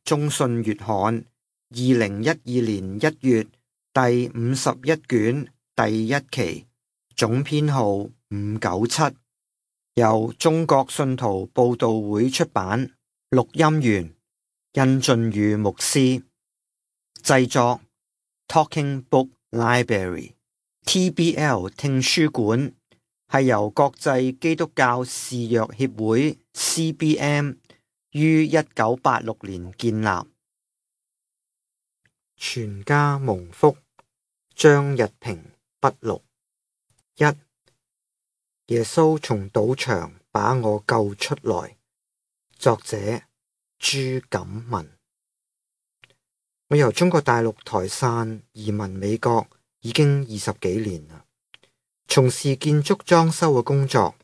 中信月刊2012年1月第51卷第1期，總編號597，由中國信徒佈道會出版，錄音員殷俊宇牧師，製作 Talking Book Library TBL 聽書館，係由國際基督教事約協會 CBM 於1986年建立。全家蒙福。張日平筆錄。1. 耶穌從賭場把我救出來。作者朱錦文。我由中國大陸台汕移民美國已經20幾年啦，從事建築裝修嘅工作。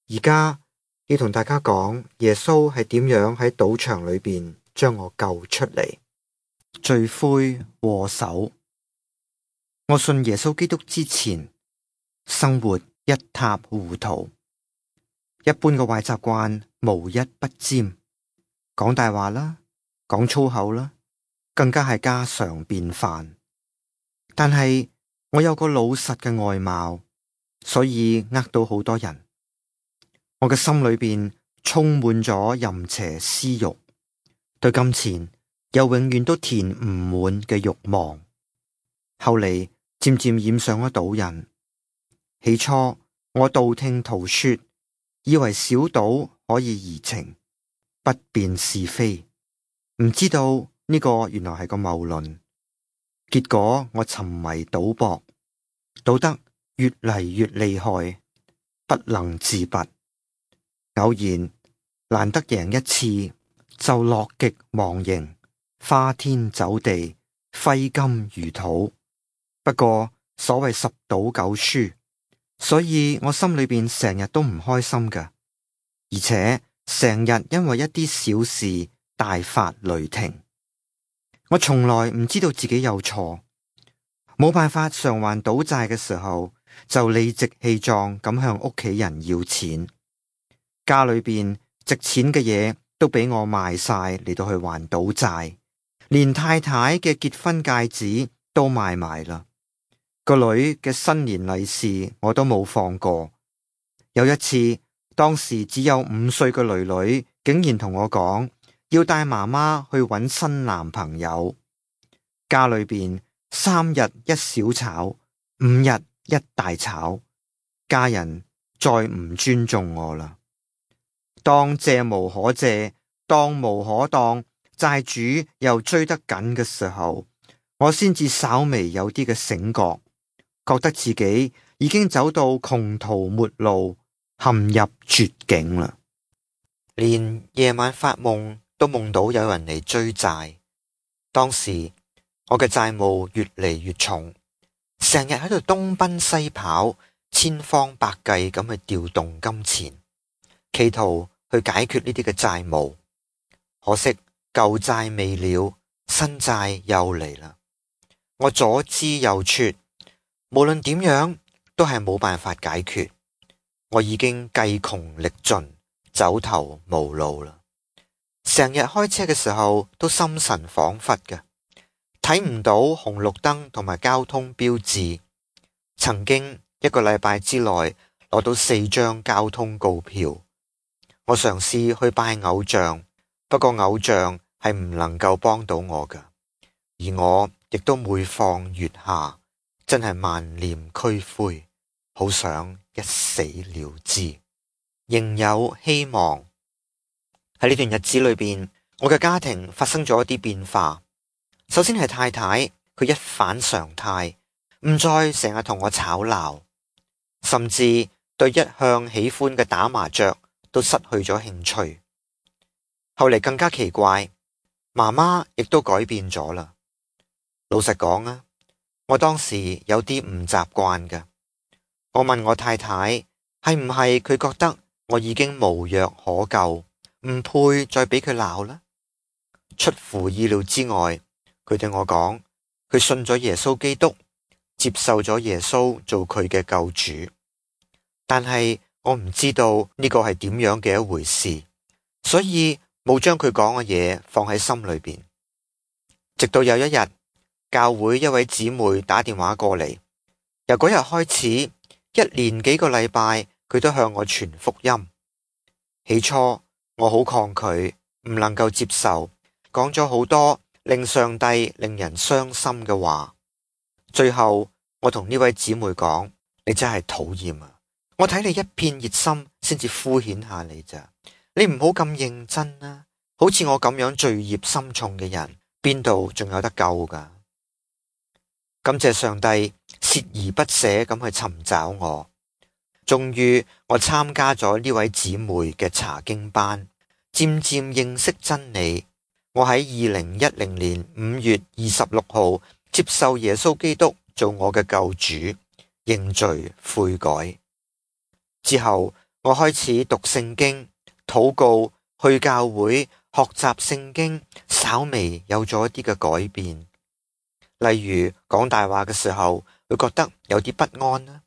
而家要同大家講耶穌係點樣喺賭場裏邊將我救出嚟。罪魁禍首。我信耶穌基督之前，生活一塌糊塗，一般嘅壞習慣無一不沾，講大話啦，講粗口啦，更加係家常便飯。但係我有個老實嘅外貌，所以呃到好多人。我嘅心裏邊充滿咗淫邪私欲，對金錢又永遠都填唔滿嘅慾望。後嚟漸漸染上咗賭癮。起初我道聽途說，以為小賭可以怡情，不辨是非，唔知道呢個原來係個謬論。結果我沉迷賭博，賭得越嚟越厲害，不能自拔。偶然難得贏一次，就樂極忘形，花天酒地，揮金如土。不過所謂十賭九輸，所以我心裏邊成日都唔開心㗎，而且成日因為一啲小事大發雷霆。我從來唔知道自己有錯，冇辦法償還賭債嘅時候，就理直氣壯咁向屋企人要錢。家裏邊值錢嘅嘢都俾我賣晒嚟到去還賭債，連太太嘅結婚戒指都賣埋啦。個女嘅新年利是我都冇放過。有一次，當時只有5歲嘅囡囡竟然同我講要帶媽媽去搵新男朋友。家裏邊3日一小吵，5日一大吵，家人再唔尊重我啦。當借無可借，當無可當，債主又追得緊嘅時候，我先至稍微有啲嘅醒覺，覺得自己已經走到窮途末路，陷入絕境啦。連夜晚發夢都夢到有人嚟追債。當時我嘅債務越嚟越重，成日喺度東奔西跑，千方百計咁去調動金錢，企圖去解決呢啲嘅債務。可惜舊債未了，新債又嚟啦。我左支右絀，無論點樣都係冇辦法解決。我已經計窮力盡，走投無路啦。成日開車嘅時候都心神恍惚嘅，睇唔到紅綠燈同埋交通標誌。曾經1個禮拜之內攞到4張交通告票。我嘗試去拜偶像，不過偶像係唔能夠幫到我㗎，而我亦都每況愈下，真係萬念俱灰，好想一死了之。仍有希望。喺呢段日子裏邊，我嘅家庭發生咗一啲變化。首先係太太，佢一反常態，唔再成日同我吵鬧，甚至對一向喜歡嘅打麻雀都失去咗興趣。後嚟更加奇怪，媽媽亦都改變咗啦。老實講啊，我當時有啲唔習慣嘅。我問我太太，係唔係佢覺得我已經無藥可救，唔配再俾佢鬧啦？出乎意料之外，佢對我講，佢信咗耶穌基督，接受咗耶穌做佢嘅救主。但係我唔知道呢個係點樣嘅一回事，所以冇將佢講嘅嘢放喺心裏邊。直到有一日，教會一位姊妹打電話過嚟，由嗰日開始，一連幾個禮拜，佢都向我傳福音。起初我好抗拒，唔能夠接受，講咗好多令上帝令人傷心嘅話。最後我同呢位姊妹講：你真係討厭啊！我睇你一片熱心，先至敷衍下你咋。你唔好咁認真啊！好似我咁樣罪孽深重嘅人，邊度仲有得救噶？感謝上帝鍥而不捨咁去尋找我，終於我參加咗呢位姊妹嘅查經班，漸漸認識真理。我喺2010年5月26號接受耶穌基督做我嘅救主，認罪悔改。之後我開始讀聖經、禱告、去教會學習聖經，稍微有咗一啲嘅改變。例如講大話嘅時候，會覺得有啲不安啦，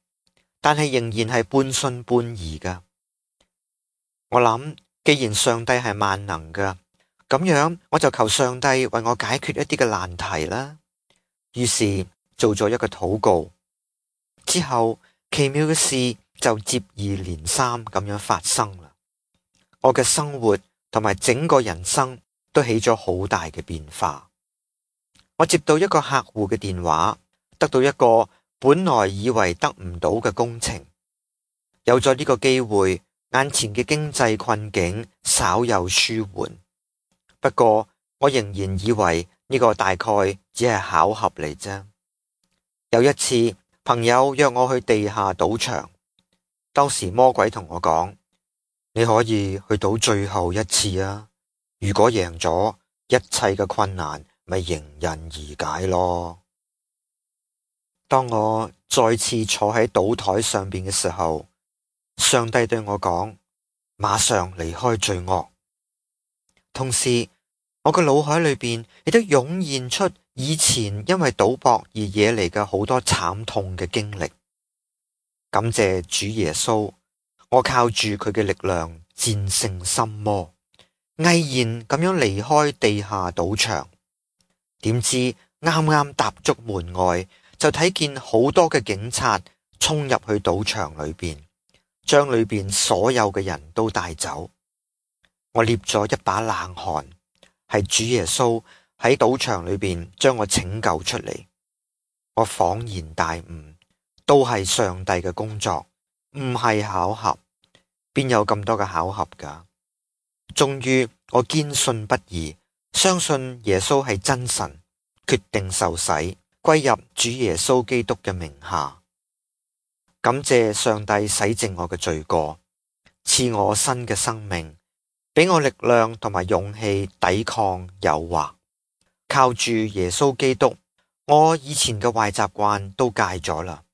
但係仍然係半信半疑噶。我諗，既然上帝係萬能噶，咁樣我就求上帝為我解決一啲嘅難題啦。於是做咗一個禱告，之後奇妙嘅事就接二連三咁樣發生啦。我嘅生活同埋整個人生都起咗好大嘅變化。我接到一個客戶嘅電話，得到一個本來以為得唔到嘅工程。有咗呢個機會，眼前嘅經濟困境稍有舒緩。不過我仍然以為呢個大概只係巧合嚟啫。有一次，朋友約我去地下賭場，當時魔鬼同我講：你可以去賭最後一次啊！如果贏咗，一切嘅困難咪迎刃而解咯。當我再次坐喺賭台上邊嘅時候，上帝對我講：馬上離開罪惡。同時，我嘅腦海裏邊亦都湧現出以前因為賭博而惹嚟嘅好多慘痛嘅經歷。感謝主耶穌，我靠住佢嘅力量戰勝心魔，毅然咁樣離開地下賭場。點知啱啱踏足門外，就睇見好多嘅警察衝入去賭場裏邊，將裏邊所有嘅人都帶走。我捏咗一把冷汗，係主耶穌喺賭場裏邊將我拯救出嚟。我恍然大悟，都係上帝嘅工作，唔係巧合。邊有咁多嘅巧合㗎？終於我堅信不疑，相信耶穌係真神，決定受洗，歸入主耶穌基督嘅名下。感謝上帝洗淨我嘅罪過，賜我新嘅生命，俾我力量同埋勇氣抵抗誘惑。靠住耶穌基督，我以前嘅壞習慣都戒咗啦。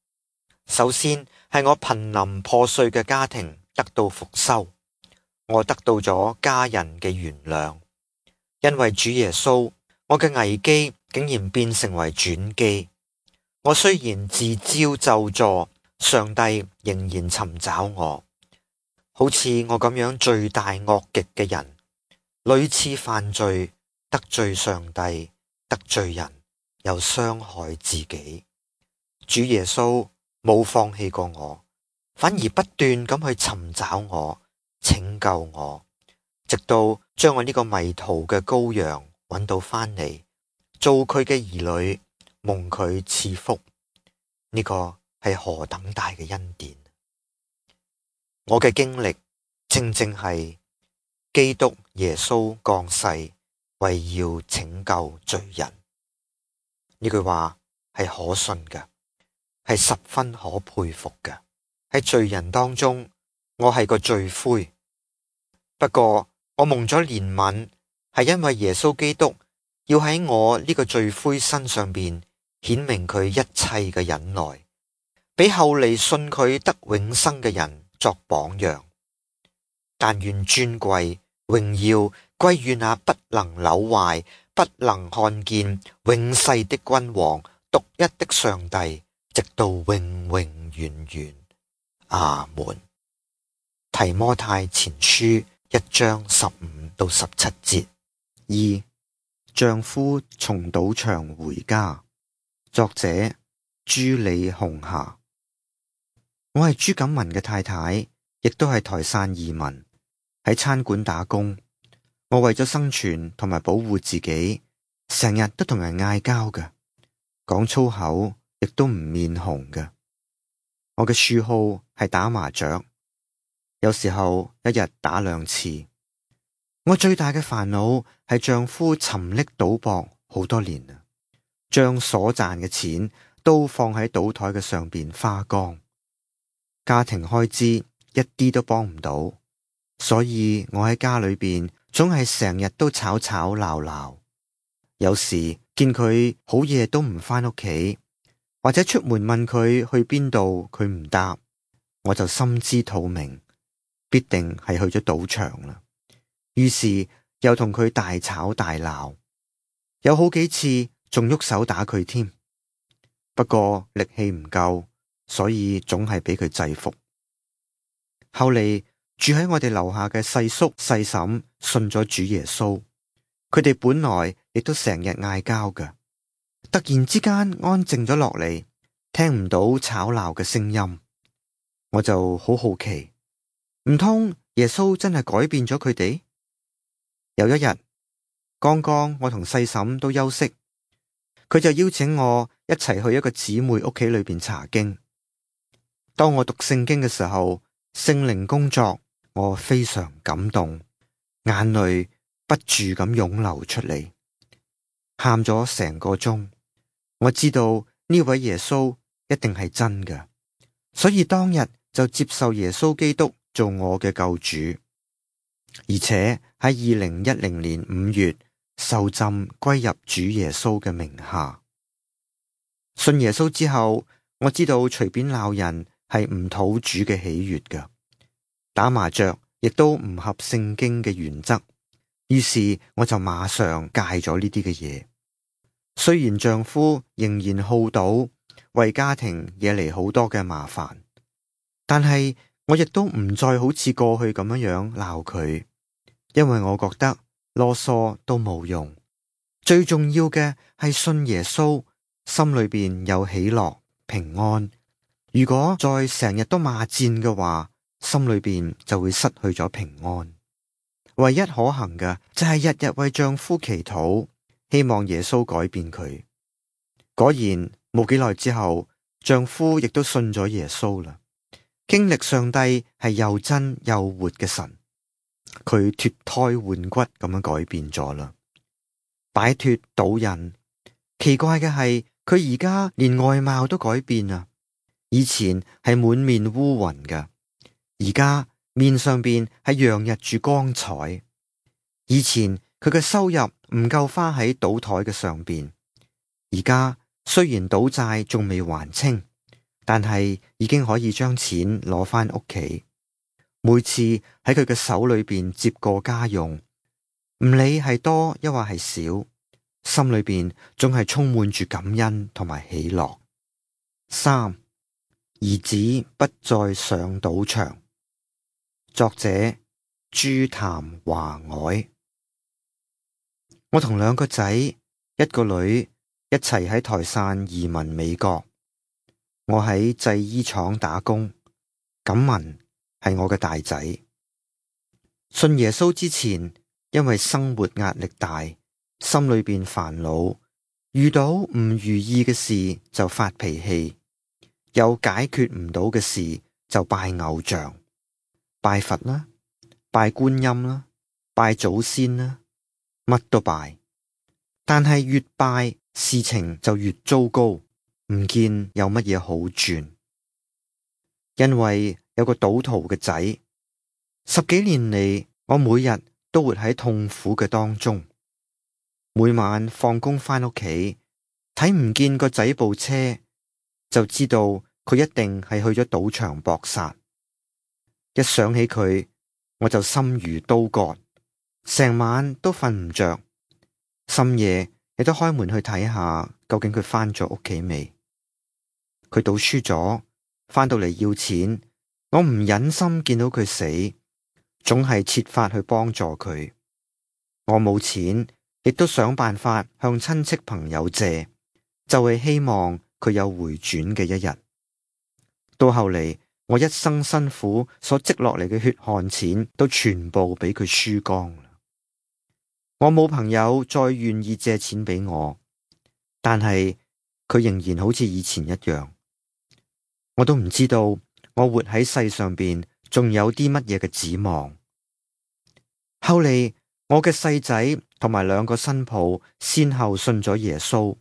首先係我瀕臨破碎嘅家庭得到復修，我得到咗家人嘅原諒。因為主耶穌，我嘅危機竟然變成為轉機。我雖然自招咒詛，上帝仍然尋找我。好似我咁樣罪大惡極嘅人，屢次犯罪，得罪上帝，得罪人，又傷害自己。主耶穌冇放棄過我，反而不斷咁去尋找我，拯救我，直到將我呢個迷途嘅羔羊揾到翻嚟，做佢嘅兒女，蒙佢賜福。呢個係何等大嘅恩典！我嘅經歷正正係基督耶穌降世，為要拯救罪人。呢句話係可信嘅，係十分可佩服嘅。喺罪人當中，我係個罪魁。不過我蒙咗憐憫，係因為耶穌基督要喺我呢個罪魁身上邊顯明佢一切嘅忍耐，俾後嚟信佢得永生嘅人作榜樣。但願尊貴榮耀歸於那不能朽壞、不能看見、永世的君王、獨一的上帝，直到永永遠遠。阿門。提摩太前書1章15到17節。2. 丈夫從賭場回家。作者朱李紅霞。我係朱錦文嘅太太，亦都係台汕移民，喺餐館打工。我為咗生存同埋保護自己，成日都同人嗌交嘅，講粗口亦都唔面紅嘅。我嘅嗜好係打麻雀，有時候一日打2次。我最大嘅煩惱係丈夫沉溺賭博好多年啦，將所賺嘅錢都放喺賭台嘅上邊花光，家庭開支一啲都幫唔到，所以我喺家裏邊總係成日都吵吵鬧鬧。有時見佢好夜都唔返屋企，或者出門問佢去邊度，佢唔答，我就心知肚明，必定係去咗賭場啦。於是又同佢大吵大鬧，有好幾次仲喐手打佢添。不過力氣唔夠，所以總係俾佢制服。後嚟住喺我哋樓下嘅細叔細嬸信咗主耶穌，佢哋本來亦都成日嗌交㗎，突然之間安靜咗落嚟，聽唔到吵鬧嘅聲音。我就好好奇，唔通耶穌真係改變咗佢哋？有一日，剛剛我同細嬸都休息，佢就邀請我一齊去一個姊妹屋企裏邊查經。當我讀聖經嘅時候，聖靈工作，我非常感動，眼淚不住咁湧流出嚟，喊咗成個鐘。我知道呢位耶穌一定係真嘅，所以當日就接受耶穌基督做我嘅救主。而且喺2010年5月受浸歸入主耶穌嘅名下。信耶穌之後，我知道隨便鬧人係唔討主嘅喜悅嘅，打麻雀亦都唔合聖經嘅原則。於是我就馬上戒咗呢啲嘅嘢。雖然丈夫仍然好賭，為家庭惹嚟好多嘅麻煩，但係我亦都唔再好似過去咁樣鬧佢，因為我覺得囉嗦都冇用。最重要嘅係信耶穌，心裏邊有喜樂平安。如果再成日都罵戰嘅話，心裏邊就會失去咗平安。唯一可行嘅就係日日為丈夫祈禱，希望耶穌改變佢。果然冇幾耐之後，丈夫亦都信咗耶穌啦，經歷上帝係又真又活嘅神。佢脫胎換骨咁樣改變咗啦，擺脫賭癮。奇怪嘅係，佢而家連外貌都改變啦。以前係滿面烏雲嘅，而家面上邊係洋溢住光彩。以前佢嘅收入唔夠花喺賭台嘅上邊，而家雖然賭債仲未還清，但係已經可以將錢攞返屋企。每次喺佢嘅手裏邊接過家用，唔理係多抑或係少，心裏邊總係充滿住感恩同埋喜樂。3. 兒子不再上賭場。作者朱譚華藹。我同2個仔1個女一齊喺台汕移民美國。我喺製衣廠打工，錦文係我嘅大仔。信耶穌之前，因為生活壓力大，心裏邊煩惱，遇到唔如意嘅事就發脾氣，有解決唔到嘅事就拜偶像，拜佛啦，拜觀音啦，拜祖先啦，乜都拜。但係越拜事情就越糟糕，唔見有乜嘢好轉。因為有個賭徒嘅仔，10幾年嚟，我每日都活喺痛苦嘅當中。每晚放工返屋企，睇唔見個仔部車，就知道佢一定係去咗賭場搏殺。一想起佢，我就心如刀割，成晚都瞓唔着，深夜亦都開門去睇下究竟佢返咗屋企未。佢賭輸咗，返到嚟要錢，我唔忍心見到佢死，總係設法去幫助佢。我冇錢，亦都想辦法向親戚朋友借，就係希望佢有回轉嘅一日。到後嚟，我一生辛苦所積落嚟嘅血汗錢，都全部俾佢輸光啦。我冇朋友再願意借錢俾我，但係佢仍然好似以前一樣。我都唔知道我活喺世上邊仲有啲乜嘢嘅指望。後嚟我嘅細仔同埋2個新抱先後信咗耶穌，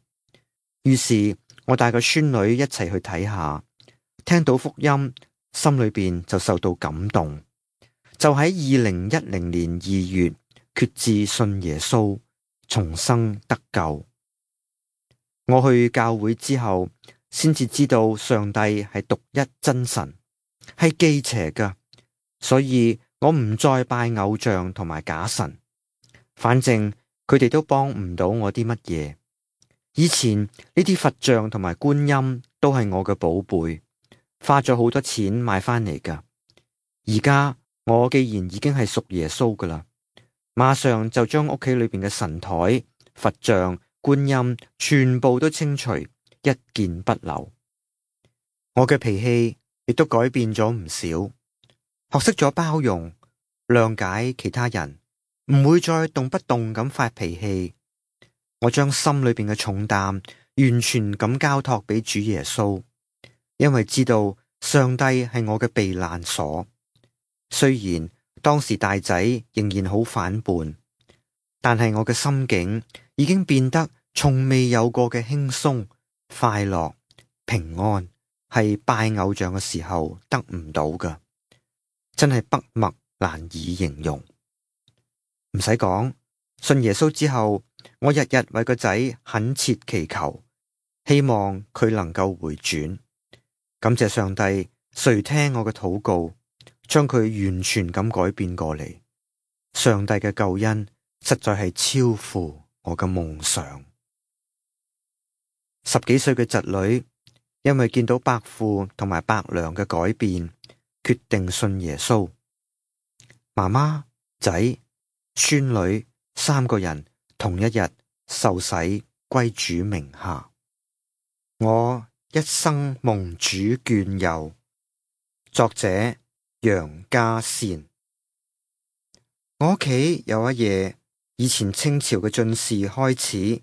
於是我帶個孫女一齊去睇下，聽到福音，心裏邊就受到感動，就喺2010年2月決志信耶穌，重生得救。我去教會之後，先至知道上帝係獨一真神，係忌邪㗎，所以我唔再拜偶像同埋假神，反正佢哋都幫唔到我啲乜嘢。以前呢啲佛像同埋觀音都係我嘅寶貝，花咗好多錢買翻嚟㗎。而家我既然已經係屬耶穌㗎啦，馬上就將屋企裏邊嘅神台、佛像、觀音全部都清除，一件不留。我嘅脾氣亦都改變咗唔少，學識咗包容、諒解其他人，唔會再動不動咁發脾氣。我將心裏邊嘅重擔完全咁交託俾主耶穌，因為知道上帝係我嘅避難所。雖然當時大仔仍然好反叛，但係我嘅心境已經變得從未有過嘅輕鬆、快樂、平安，係拜偶像嘅時候得唔到㗎，真係筆墨難以形容。唔使講，信耶穌之後，我日日為個仔懇切祈求，希望佢能夠回轉。感謝上帝垂聽我嘅禱告，將佢完全咁改變過嚟。上帝嘅救恩實在係超乎我嘅夢想。10幾歲嘅侄女，因為見到伯父同埋伯娘嘅改變，決定信耶穌。媽媽、仔、孫女3個人同一日受洗歸主名下。我一生蒙主眷佑。作者楊家善。我屋企有一夜，以前清朝嘅進士開始，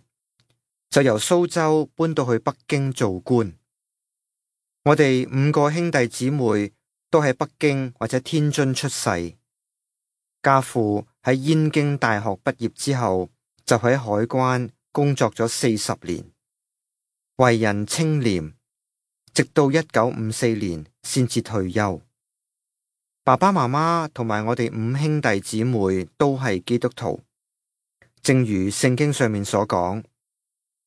就由蘇州搬到去北京做官。我哋5個兄弟姊妹都喺北京或者天津出世。家父喺燕京大學畢業之後，就喺海關工作咗40年，為人清廉，直到1954年先至退休。爸爸媽媽同埋我哋5兄弟姊妹都係基督徒，正如聖經上面所講，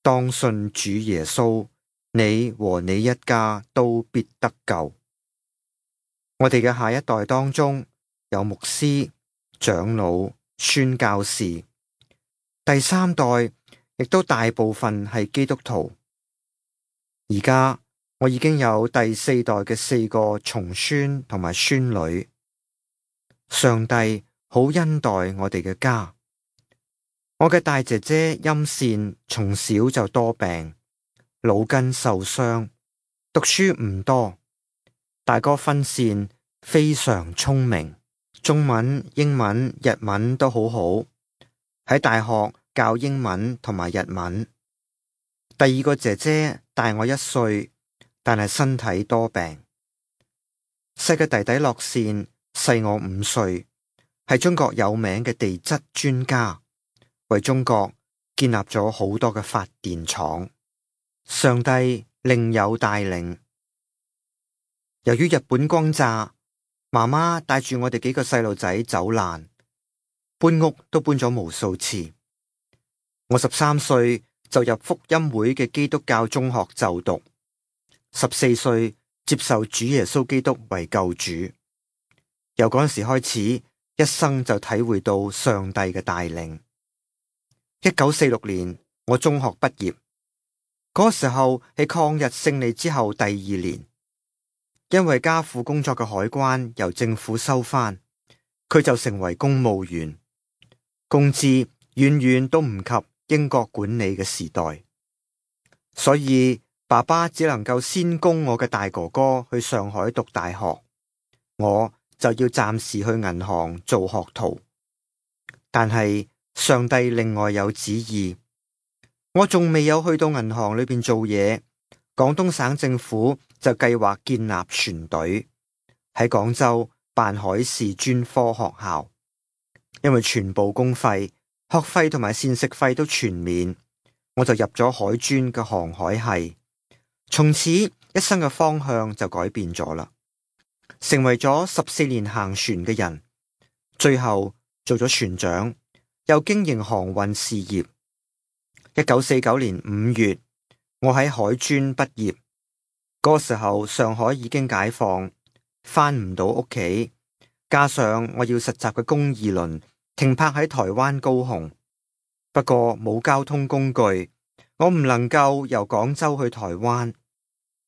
當信主耶穌，你和你一家都必得救。我哋嘅下一代當中有牧師、長老、宣教士，第3代亦都大部分係基督徒。而家我已經有第4代嘅4個重孫同埋孫女。上帝好恩待我哋嘅家。我嘅大姐姐陰善從小就多病，腦筋受傷，讀書唔多。大哥芬善非常聰明，中文、英文、日文都好好，喺大學教英文同埋日文。第2個姐姐大我1歲，但係身體多病。細嘅弟弟樂善細我5歲，係中國有名嘅地質專家，為中國建立咗好多嘅發電廠。上帝另有帶領。由於日本轟炸，媽媽帶住我哋幾個細路仔走難，搬屋都搬咗無數次。我13歲就入福音會嘅基督教中學就讀，14歲接受主耶穌基督為救主。由嗰陣時開始，一生就體會到上帝嘅帶領。1946年，我中學畢業，嗰時候係抗日勝利之後第2年，因為家父工作嘅海關由政府收翻，佢就成為公務員，工資遠遠都唔及英國管理嘅時代，所以爸爸只能夠先供我嘅大哥哥去上海讀大學，我就要暫時去銀行做學徒。但係上帝另外有旨意，我仲未有去到銀行裏邊做嘢，廣東省政府就計劃建立船隊喺廣州辦海事專科學校，因為全部公費、學費同埋膳食費都全免，我就入咗海專嘅航海系，從此一生嘅方向就改變咗啦，成為咗14年行船嘅人，最後做咗船長，又經營航運事業。1949年5月，我喺海專畢業，嗰時候上海已經解放，返唔到屋企，加上我要實習嘅公二輪停泊喺台灣高雄，不過冇交通工具，我唔能夠由廣州去台灣。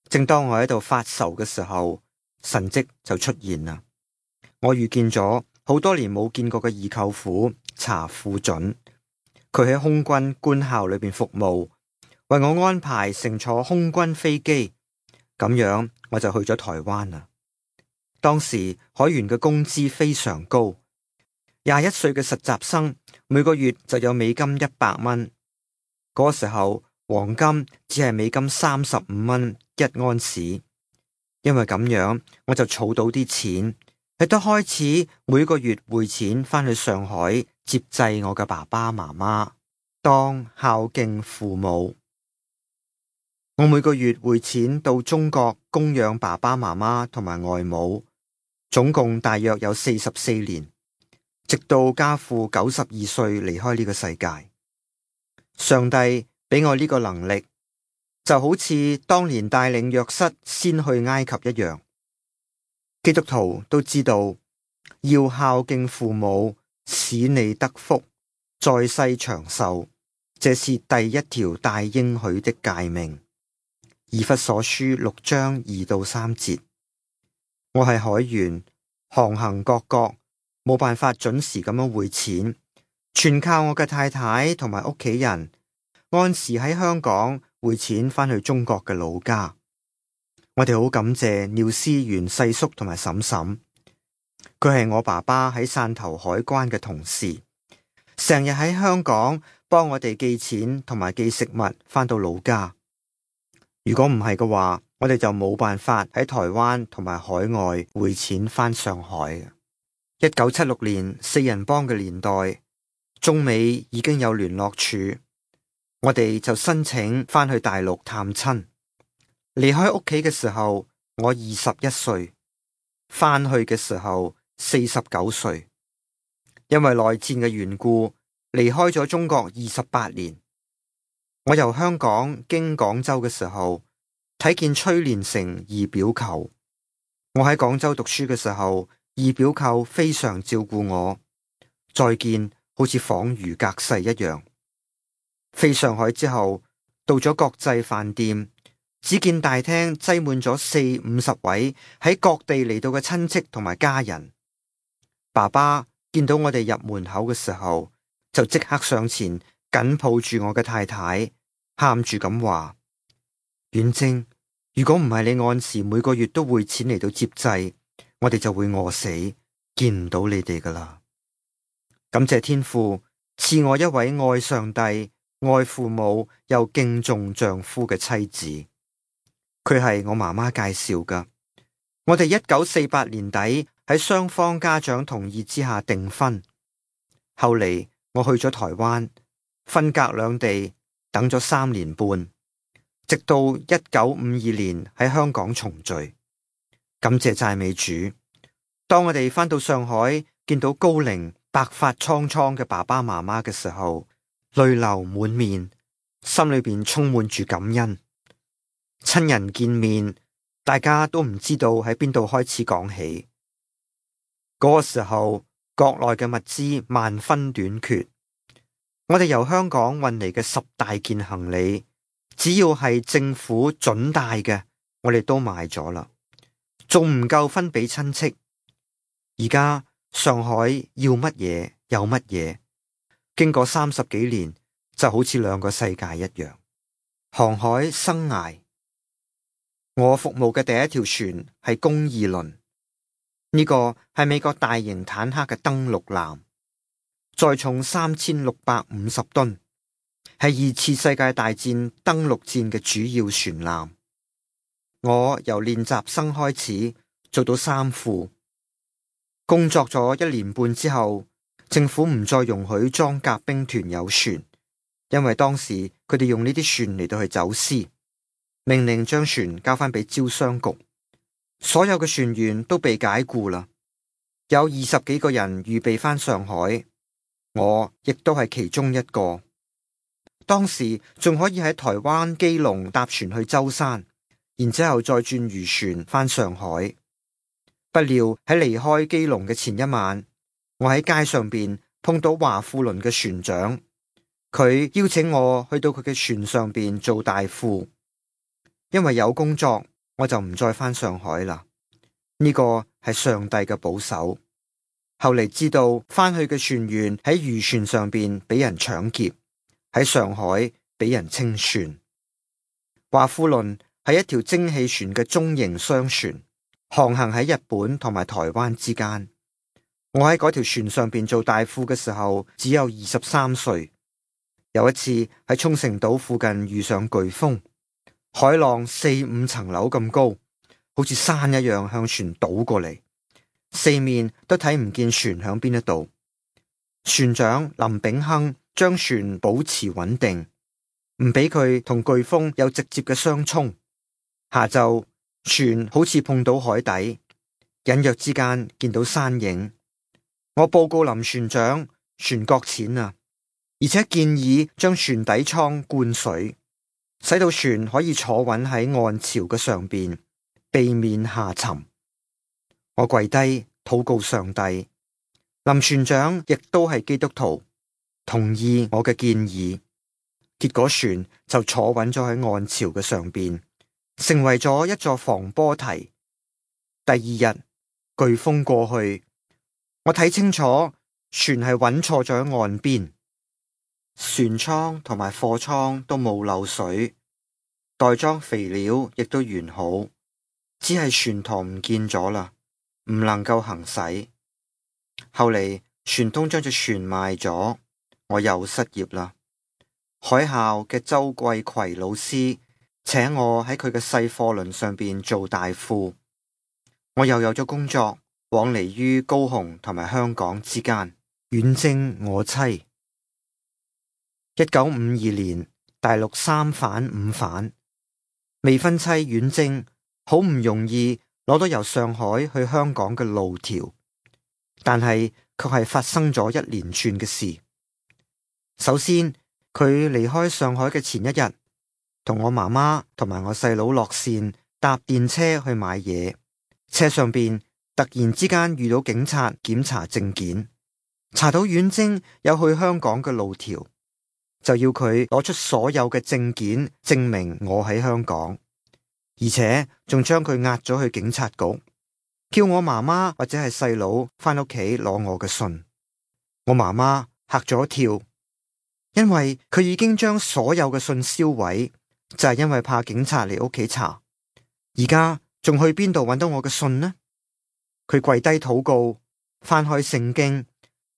正當我喺度發愁嘅時候，神蹟就出現啦。我遇見咗好多年冇見過嘅二舅父查富準，佢喺空軍官校裏邊服務，為我安排乘坐空軍飛機，咁樣我就去咗台灣啦。當時海員嘅工資非常高，21歲嘅實習生每個月就有美金100蚊，嗰時候黃金只係美金35蚊1盎司，因為咁樣我就儲到啲錢，亦都開始每個月匯錢返去上海接濟我嘅爸爸媽媽，當孝敬父母。我每個月匯錢到中國供養爸爸媽媽同埋外母，總共大約有44年，直到家父92歲離開呢個世界。上帝俾我呢個能力，就好似當年帶領約瑟先去埃及一樣。基督徒都知道要孝敬父母，使你得福，在世長壽，這是第一條大應許的誡命。以弗所書6章2到3節。我係海員，航行各國，冇辦法準時咁樣匯錢，全靠我嘅太太同埋屋企人按時喺香港匯錢返去中國嘅老家。我哋好感謝廖思源細叔同埋嬸嬸，佢係我爸爸喺汕頭海關嘅同事，成日喺香港幫我哋寄錢同埋寄食物返到老家。如果唔係嘅話，我哋就冇辦法喺台灣同埋海外匯錢返上海。1976年四人幫嘅年代，中美已經有聯絡處，我哋就申請返去大陸探親。離開屋企嘅時候，我21歲，返去嘅時候49歲。因為內戰嘅緣故，離開咗中國28年。我由香港經廣州嘅時候，睇見崔連成二表舅。我喺廣州讀書嘅時候，二表舅非常照顧我，再見好似恍如隔世一樣。飛上海之後，到咗國際飯店，只見大廳擠滿咗40-50位喺各地嚟到嘅親戚同埋家人。爸爸見到我哋入門口嘅時候，就即刻上前緊抱住我嘅太太，喊住咁話：遠征，如果唔係你按時每個月都匯錢嚟到接濟，我哋就會餓死，見唔到你哋噶啦。感謝天父賜我一位愛上帝、愛父母又敬重丈夫嘅妻子。佢係我媽媽介紹噶。我哋1948年底喺雙方家長同意之下訂婚。後嚟我去咗台灣，分隔兩地，等咗3年半，直到1952年喺香港重聚。感謝讚美主，當我哋返到上海，見到高齡白髮蒼蒼嘅爸爸媽媽嘅時候，淚流滿面，心裏邊充滿住感恩。親人見面，大家都唔知道喺邊度開始講起。嗰個時候，國內嘅物資萬分短缺，我哋由香港運嚟嘅10大件行李，只要係政府准帶嘅，我哋都買咗啦，仲唔夠分俾親戚。而家上海要乜嘢有乜嘢，經過30幾年就好似兩個世界一樣。航海生涯，我服務嘅第一條船係公義輪，呢個係美國大型坦克嘅登陸艦，載重3650噸，係2次世界大戰登陸戰嘅主要船艦。我由練習生開始做到3副，工作咗1年半之後，政府唔再容許裝甲兵團有船，因為當時佢哋用呢啲船嚟到去走私，命令將船交翻俾招商局。所有嘅船員都被解僱啦，有20幾個人預備翻上海，我亦都係其中一個。當時仲可以喺台灣基隆搭船去舟山，然之後再轉漁船翻上海。不料喺離開基隆嘅前一晚，我喺街上邊碰到華富輪嘅船長，佢邀請我去到佢嘅船上邊做大副。因為有工作，我就唔再翻上海啦。呢個係上帝嘅保守。後嚟知道翻去嘅船員喺漁船上邊俾人搶劫，喺上海俾人清算。華富輪係一條蒸汽船嘅中型商船，航行喺日本同埋台灣之間。我喺嗰條船上邊做大副嘅時候，只有23歲。有一次喺沖繩島附近遇上颶風，海浪4、5層樓咁高，好似山一樣向船倒過嚟，四面都睇唔見船響邊一度。船長林炳亨將船保持穩定，唔俾佢同颶風有直接嘅相衝。下晝船好似碰到海底，隱約之間見到山影。我報告林船長，船擱淺啊，而且建議將船底艙灌水，使到船可以坐穩喺岸潮嘅上邊，避免下沉。我跪低禱告上帝，林船長亦都係基督徒，同意我嘅建議。結果船就坐穩咗喺岸潮嘅上邊，成為咗一座防波堤。第二日颶風過去，我睇清楚船係穩錯咗喺岸邊，船艙同埋貨艙都冇漏水，袋裝肥料亦都完好，只係船舵唔見咗啦，唔能夠行駛。後嚟船東將隻船賣咗，我又失業啦。海校嘅周貴葵老師請我喺佢嘅細貨輪上邊做大副，我又有咗工作，往嚟於高雄同埋香港之間，遠征我妻。1952年大陸3反5反，未婚妻遠征，好唔容易攞到由上海去香港嘅路條，但係卻係發生咗一連串嘅事。首先，佢離開上海嘅前一日，同我媽媽同埋我細佬落線搭電車去買嘢，車上邊突然之間遇到警察檢查證件，查到遠征有去香港嘅路條，就要佢攞出所有嘅證件證明我喺香港，而且仲將佢押咗去警察局，叫我媽媽或者係細佬返屋企攞我嘅信。我媽媽嚇咗一跳，因為佢已經將所有嘅信銷毀，就係因為怕警察嚟屋企查。而家仲去邊度揾到我嘅信呢？佢跪低禱告，翻開聖經，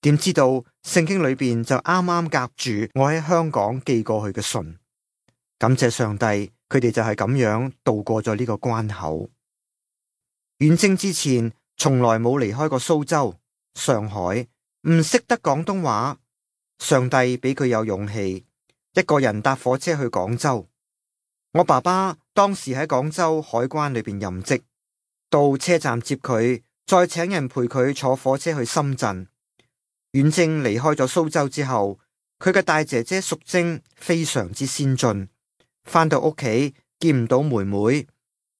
點知道聖經裏邊就啱啱夾住我喺香港寄過去嘅信。感謝上帝，佢哋就係咁樣度過咗呢個關口。遠征之前從來冇離開過蘇州、上海，唔識得廣東話。上帝俾佢有勇氣，一個人搭火車去廣州。我爸爸當時喺廣州海關裏邊任職，到車站接佢，再請人陪佢坐火車去深圳。遠征離開咗蘇州之後，佢嘅大姐姐淑貞非常之先進，返到屋企見唔到妹妹，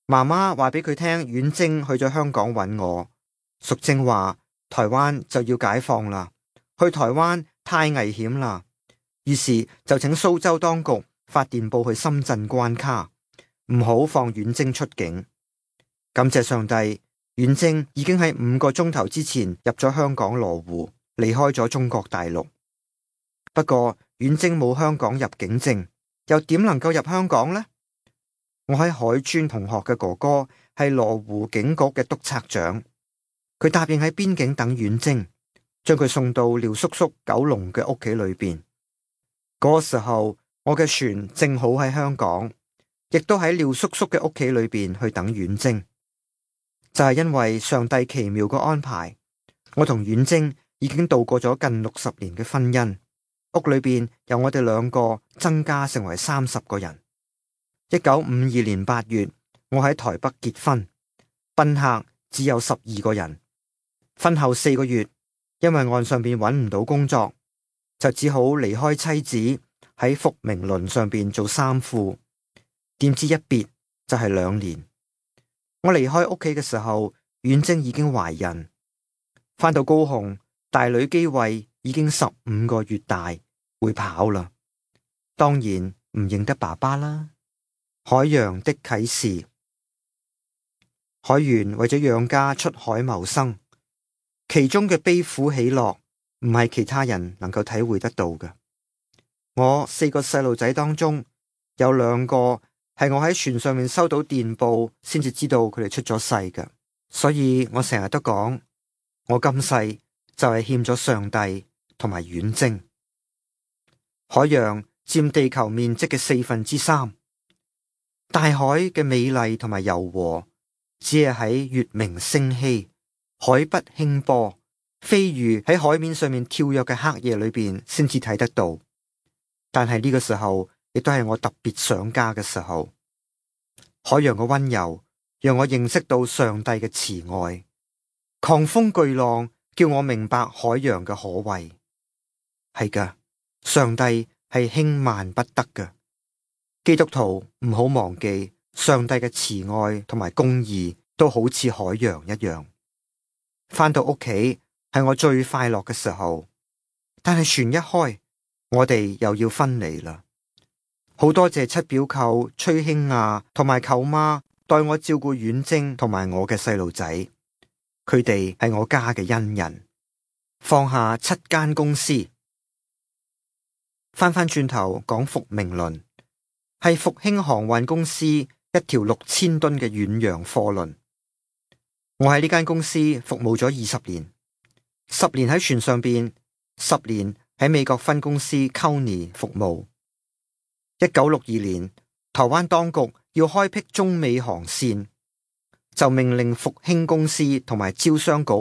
媽媽話俾佢聽遠征去咗香港揾我。淑貞話台灣就要解放啦，去台灣太危險啦，於是就請蘇州當局發電報去深圳關卡，唔好放遠征出境。感謝上帝，遠征已經喺5個鐘頭之前入咗香港羅湖，離開咗中國大陸。不過遠征冇香港入境證，又點能夠入香港呢？我喺海專同學嘅哥哥係羅湖警局嘅督察長，佢答應喺邊境等遠征，將佢送到廖叔叔九龍嘅屋企裏邊。嗰個時候，我嘅船正好喺香港，亦都喺廖叔叔嘅屋企裏邊去等遠征。就係因為上帝奇妙嘅安排，我同遠征已經度過咗近60年嘅婚姻，屋裏邊由我哋2個增加成為30個人。1952年8月，我喺台北結婚，賓客只有12個人。婚後4個月，因為岸上邊揾唔到工作，就只好離開妻子，喺福明輪上邊做衫褲。點知一別就係2年。我離開屋企嘅時候，遠征已經懷孕。返到高雄，大女基慧已經15個月大，會跑啦。當然唔認得爸爸啦。海洋的啟示。海員為咗養家出海謀生，其中嘅悲苦喜樂唔係其他人能夠體會得到嘅。我4個細路仔當中，有2個係我喺船上面收到電報先至知道佢哋出咗世嘅，所以我成日都講，我今世就係欠咗上帝同埋遠征。海洋佔地球面積嘅3/4，大海嘅美麗同埋柔和，只係喺月明星稀、海不輕波、飛魚喺海面上面跳躍嘅黑夜裏邊先至睇得到。但係呢個時候，亦都係我特別想家嘅時候。海洋嘅溫柔，讓我認識到上帝嘅慈愛。狂風巨浪叫我明白海洋嘅可畏。係噶，上帝係輕慢不得嘅。基督徒唔好忘記，上帝嘅慈愛同埋公義都好似海洋一樣。返到屋企係我最快樂嘅時候，但係船一開，我哋又要分離啦。好多謝七表舅崔興亞同埋舅媽代我照顧遠征同埋我嘅細路仔，佢哋係我家嘅恩人。放下7間公司，翻轉頭講福明輪。係復興航運公司一條6000噸嘅遠洋貨輪。我喺呢間公司服務咗20年，10年喺船上邊，10年喺美國分公司 Coney 服務。1962年，台灣當局要開闢中美航線，就命令復興公司同埋招商局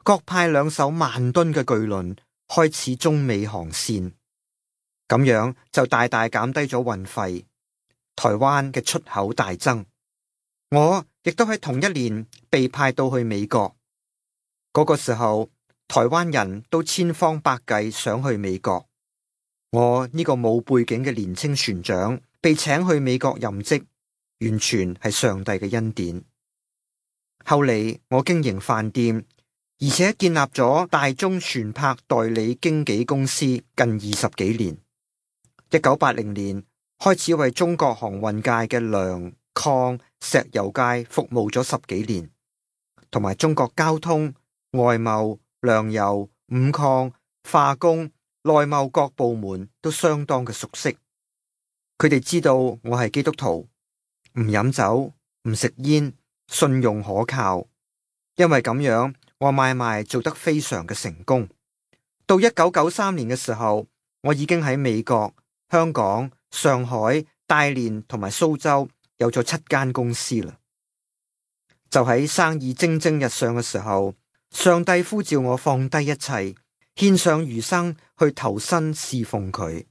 各派2艘10000噸嘅巨輪開始中美航線，咁樣就大大減低咗運費。台灣嘅出口大增，我亦都喺同一年被派到去美國。嗰個時候，台灣人都千方百計想去美國。我呢個冇背景嘅年輕船長被請去美國任職，完全係上帝嘅恩典。後嚟我經營飯店，而且建立咗大中船舶代理經紀公司近20幾年。1980年。開始為中國航運界嘅糧礦石油界服務咗10幾年，同埋中國交通、外貿、糧油、五礦、化工、內貿各部門都相當嘅熟悉。佢哋知道我係基督徒，唔飲酒，唔食煙，信用可靠。因為咁樣，我買賣做得非常嘅成功。到1993年嘅時候，我已經喺美國、香港、上海、大連同埋蘇州有咗7間公司啦。就喺生意蒸蒸日上嘅時候，上帝呼召我放低一切，獻上餘生去投身侍奉佢。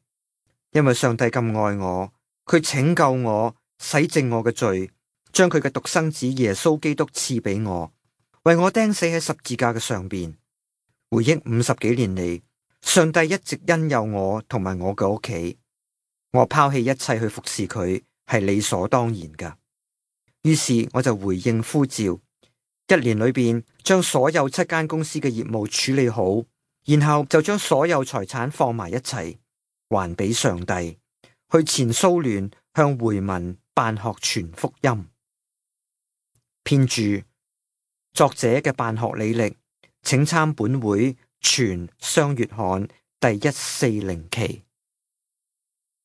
因為上帝咁愛我，佢拯救我，洗淨我嘅罪，將佢嘅獨生子耶穌基督賜俾我，為我釘死喺十字架嘅上邊。回憶50幾年嚟，上帝一直恩佑我同埋我嘅屋企。我拋棄一切去服侍佢，係理所當然噶。於是我就回應呼召，1年裏邊將所有7間公司嘅業務處理好，然後就將所有財產放埋一齊，還俾上帝，去前蘇聯向回民辦學傳福音。編著作者嘅辦學履歷，請參本會全雙月刊第140期。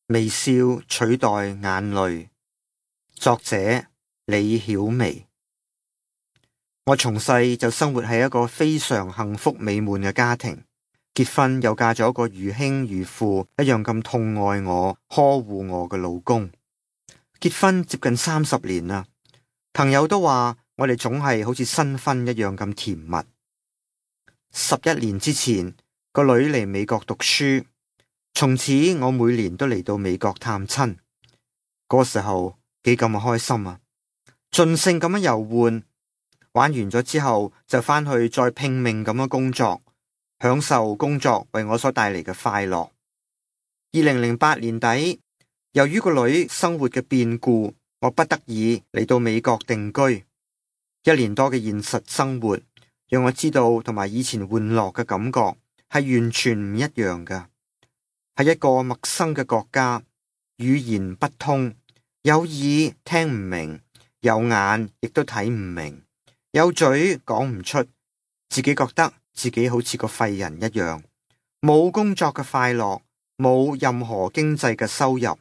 微笑取代眼淚，作者李曉薇。我從細就生活喺一個非常幸福美滿嘅家庭，結婚又嫁咗一個如兄如父一樣咁痛愛我、呵護我嘅老公。結婚接近30年啦，朋友都話我哋總係好似新婚一樣咁甜蜜。11年之前，個女嚟美國讀書，從此我每年都嚟到美國探親。嗰個時候幾咁開心啊！盡興咁樣遊玩，玩完咗之後就返去再拼命咁樣工作，享受工作為我所帶嚟嘅快樂。2008年底，由於個女生活嘅變故，我不得已嚟到美國定居。1年多嘅現實生活，讓我知道同埋以前玩樂嘅感覺係完全唔一樣㗎。係一個陌生嘅國家，語言不通，有耳聽唔明，有眼亦都睇唔明，有嘴講唔出，自己覺得自己好似個廢人一樣，冇工作嘅快樂，冇任何經濟嘅收入。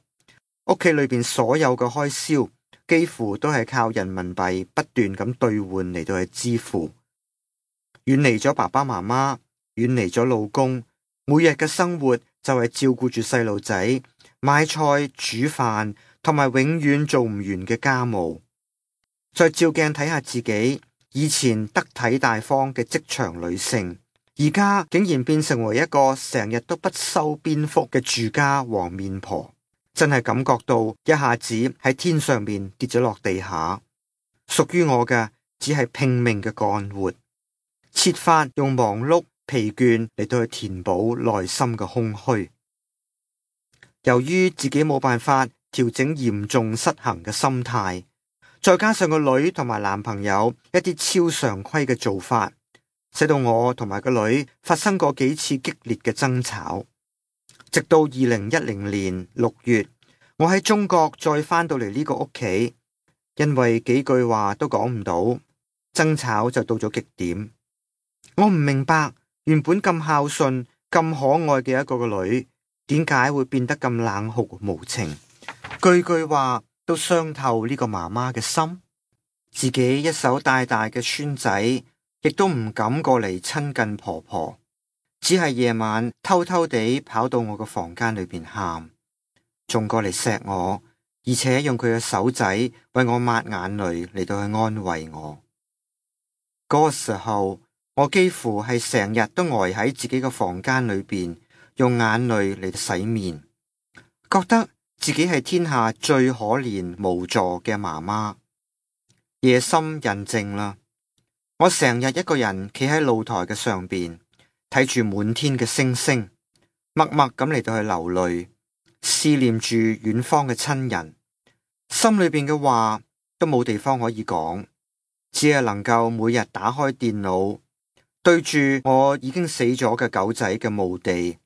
屋企裏邊所有嘅開銷幾乎都係靠人民幣不斷咁兌換嚟到去支付。遠離咗爸爸媽媽，遠離咗老公，每日嘅生活就係照顧住細路仔，買菜煮飯，同埋永遠做唔完嘅家務。再照鏡睇下自己，以前得體大方嘅職場女性，而家竟然變成為一個成日都不修邊幅嘅住家黃面婆。真係感覺到一下子喺天上面跌咗落地下，屬於我嘅只係拼命嘅幹活，設法用忙碌疲倦嚟到去填補內心嘅空虛。由於自己冇辦法調整嚴重失衡嘅心態，再加上個女同埋男朋友一啲超常規嘅做法，使到我同埋個女發生過幾次激烈嘅爭吵。直到2010年6月，我喺中國再返到嚟呢個屋企，因為幾句話都講唔到，爭吵就到咗極點。我唔明白，原本咁孝順、咁可愛嘅一個女，點解會變得咁冷酷無情？句句話都傷透呢個媽媽嘅心。自己一手帶大嘅孫仔，亦都唔敢過嚟親近婆婆。只係夜晚偷偷地跑到我個房間裏邊喊，仲過嚟錫我，而且用佢嘅手仔為我抹眼淚嚟到去安慰我。嗰個時候，我幾乎係成日都呆喺自己嘅房間裏邊，用眼淚嚟洗面，覺得自己係天下最可憐無助嘅媽媽。夜深人靜啦，我成日一個人企喺露台嘅上邊，睇住滿天嘅星星，默默咁嚟到去流淚，思念住遠方嘅親人，心裏邊嘅話都冇地方可以講，只係能夠每日打開電腦，對住我已經死咗嘅狗仔嘅墓地，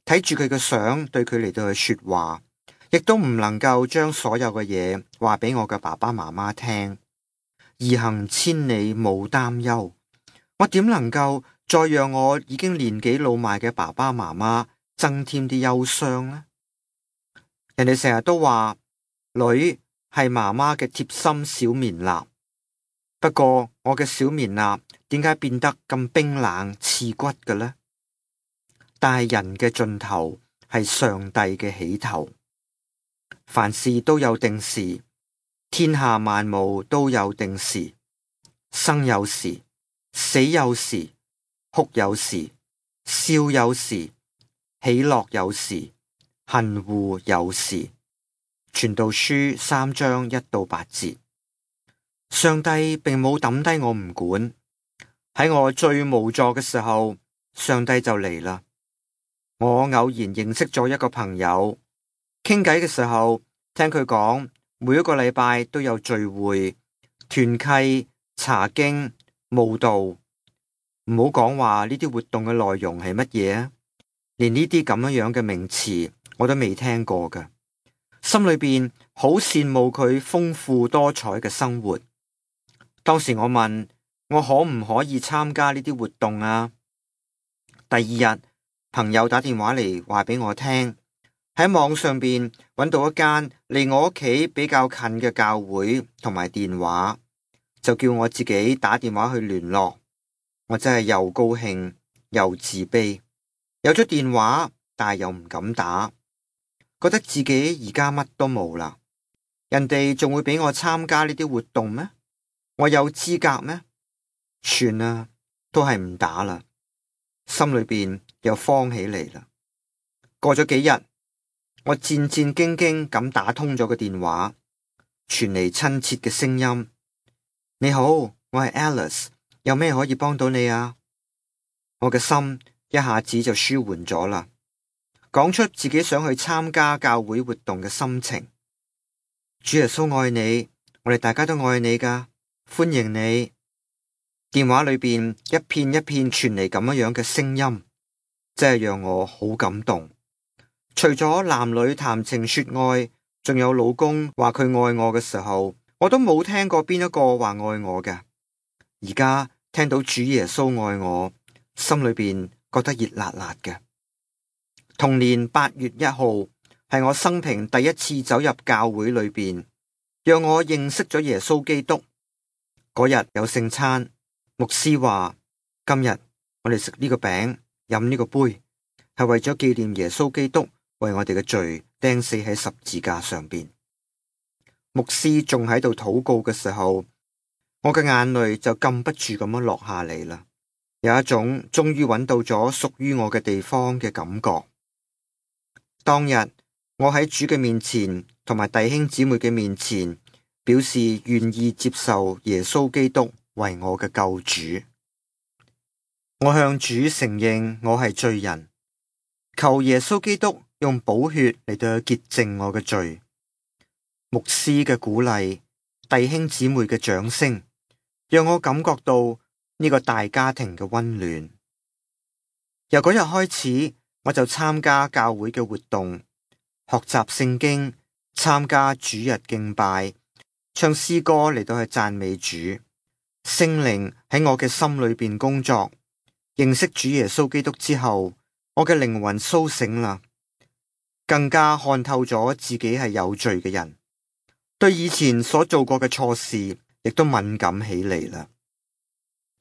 睇住佢嘅相，對佢嚟到去說話，亦都唔能夠將所有嘅嘢話俾我嘅爸爸媽媽聽。兒行千里無擔憂，我點能夠再讓我已經年紀老邁嘅爸爸媽媽增添啲憂傷呢？人哋成日都話女係媽媽嘅貼心小棉衲，不過我嘅小棉衲點解變得咁冰冷刺骨嘅呢？但係人嘅盡頭係上帝嘅起頭，凡事都有定時，天下萬物都有定時，生有時，死有時，哭有時，笑有時，喜樂有時，恨惡有時。傳道書3章1到8節。上帝並冇抌低我唔管，喺我最無助嘅時候，上帝就嚟啦。我偶然認識咗一個朋友，傾偈嘅時候，聽佢講每一個禮拜都有聚會、團契、查經、慕道。唔好講話呢啲活動嘅內容係乜嘢啊，連呢啲咁樣嘅名詞我都未聽過㗎。心裏邊好羨慕佢豐富多彩嘅生活。當時我問我可唔可以參加呢啲活動啊？第二日，朋友打電話嚟話俾我聽，喺網上邊揾到一間離我屋企比較近嘅教會同埋電話，就叫我自己打電話去聯絡。我真係又高興又自卑，有咗電話，但係又唔敢打，覺得自己而家乜都冇啦。人哋仲會俾我參加呢啲活動咩？我有資格咩？算啦，都係唔打啦。心裏邊又慌起嚟啦。過咗幾日，我戰戰兢兢咁打通咗個電話，傳嚟親切嘅聲音：你好，我係 Alice， 有咩可以幫到你啊？我嘅心一下子就舒緩咗啦，講出自己想去參加教會活動嘅心情。主耶穌愛你，我哋大家都愛你㗎，歡迎你。電話裏邊一片一片傳嚟咁樣嘅聲音，真係讓我好感動。除咗男女談情說愛，仲有老公話佢愛我嘅時候，我都冇聽過邊一個話愛我嘅。而家聽到主耶穌愛我，心裏邊覺得熱辣辣嘅。同年8月1號係我生平第一次走入教會裏邊，讓我認識咗耶穌基督。嗰日有聖餐。牧師話：今日我哋食呢個餅，飲呢個杯，係為咗紀念耶穌基督為我哋嘅罪釘死喺十字架上邊。牧師仲喺度禱告嘅時候，我嘅眼淚就禁不住咁樣落下嚟啦，有一種終於揾到咗屬於我嘅地方嘅感覺。當日我喺主嘅面前，同埋弟兄姊妹嘅面前，表示願意接受耶穌基督為我嘅救主。我向主承認我係罪人，求耶穌基督用寶血嚟到潔淨我嘅罪。牧師嘅鼓勵，弟兄姊妹嘅掌聲，讓我感覺到呢個大家庭嘅溫暖。由嗰日開始，我就參加教會嘅活動，學習聖經，參加主日敬拜，唱詩歌嚟到去讚美主。聖靈喺我嘅心裏邊工作，認識主耶穌基督之後，我嘅靈魂蘇醒啦，更加看透咗自己係有罪嘅人，對以前所做過嘅錯事亦都敏感起嚟啦。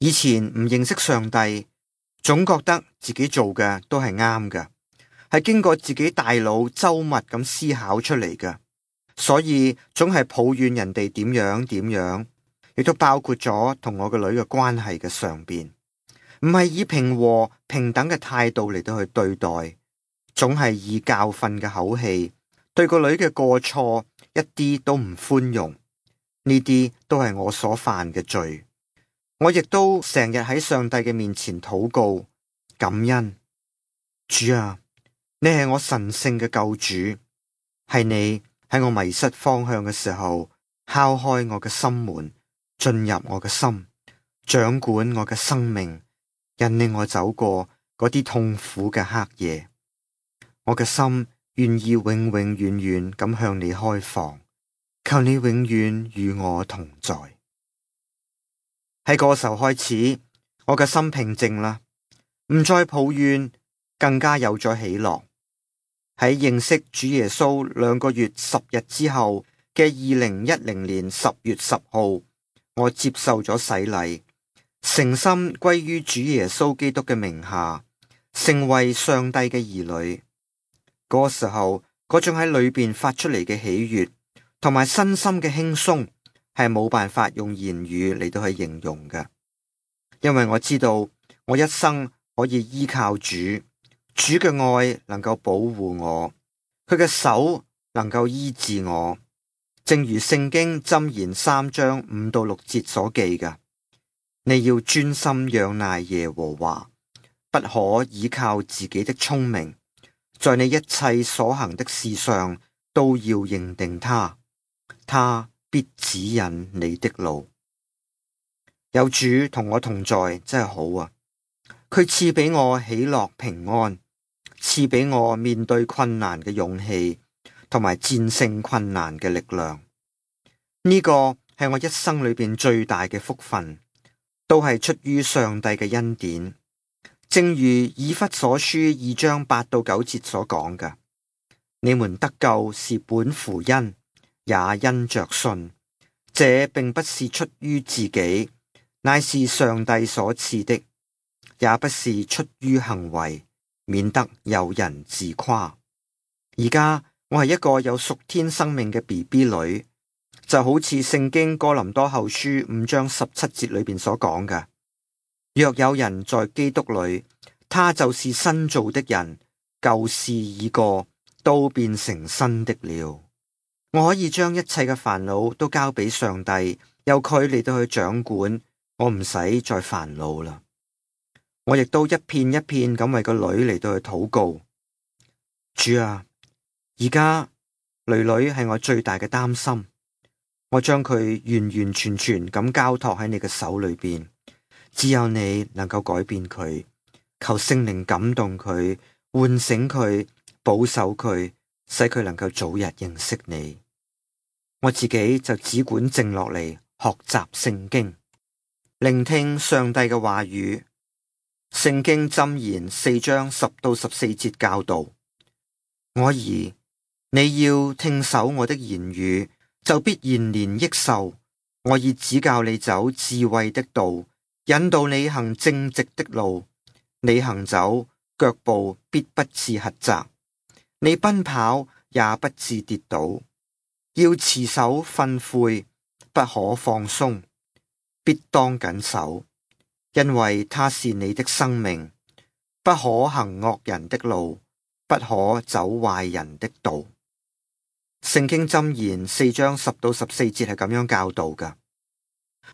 以前唔認識上帝，總覺得自己做嘅都係啱嘅，係經過自己大腦周密咁思考出嚟嘅，所以總係抱怨人哋點樣點樣。亦都包括咗同我個女嘅關係嘅上邊，唔係以平和平等嘅態度嚟到去對待，總係以教訓嘅口氣對個女嘅過錯一啲都唔寬容。呢啲都係我所犯嘅罪，我亦都成日喺上帝嘅面前禱告感恩。主啊，你係我神聖嘅救主，係你喺我迷失方向嘅時候敲開我嘅心門，進入我嘅心，掌管我嘅生命，引領我走過嗰啲痛苦嘅黑夜。我嘅心願意永永遠遠咁向你開放，求你永遠與我同在。喺嗰時候開始，我嘅心平靜啦，唔再抱怨，更加有咗喜樂。喺認識主耶穌2個月10日之後嘅2010年10月10號，我接受咗洗禮，誠心歸於主耶穌基督嘅名下，成為上帝嘅兒女。嗰個時候，嗰種喺裏邊發出嚟嘅喜悅，同埋身心嘅輕鬆，係冇辦法用言語嚟到去形容嘅。因為我知道我一生可以依靠主，主嘅愛能夠保護我，佢嘅手能夠醫治我。正如聖經箴言3章5到6節所記嘅，你要專心仰賴耶和華，不可倚靠自己的聰明，在你一切所行的事上都要認定他，他必指引你的路。有主同我同在真係好啊！佢賜俾我喜樂平安，賜俾我面對困難嘅勇氣，同埋戰勝困難嘅力量。呢個係我一生裏邊最大嘅福分。都係出於上帝嘅恩典。正如以弗所書2章8到9節所講嘅，你們得救是本乎恩，也因着信。這並不是出於自己，乃是上帝所賜的，也不是出於行為，免得有人自誇。而家我係一個有屬天生命嘅 BB 女，就好似聖經哥林多後書5章17節裏邊所講嘅，若有人在基督裏，他就是新造的人，舊事已過，都變成新的了。我可以將一切嘅煩惱都交俾上帝，由佢嚟到去掌管，我唔使再煩惱啦。我亦都一片一片咁為個女嚟到去禱告。主啊，而家女女係我最大嘅擔心，我將佢完完全全咁交託喺你嘅手裏邊，只有你能夠改變佢。求聖靈感動佢，喚醒佢，保守佢，使佢能夠早日認識你。我自己就只管靜落嚟學習聖經，聆聽上帝嘅話語。聖經箴言4章10到14節教導：我兒，你要聽守我的言語，就必延年益壽。我已指教你走智慧的道，引導你行正直的路。你行走，腳步必不致狹窄；你奔跑也不致跌倒。要持守訓誨，不可放鬆，必當謹守，因為它是你的生命。不可行惡人的路，不可走壞人的道。聖經箴言4章10到14節係咁樣教導㗎。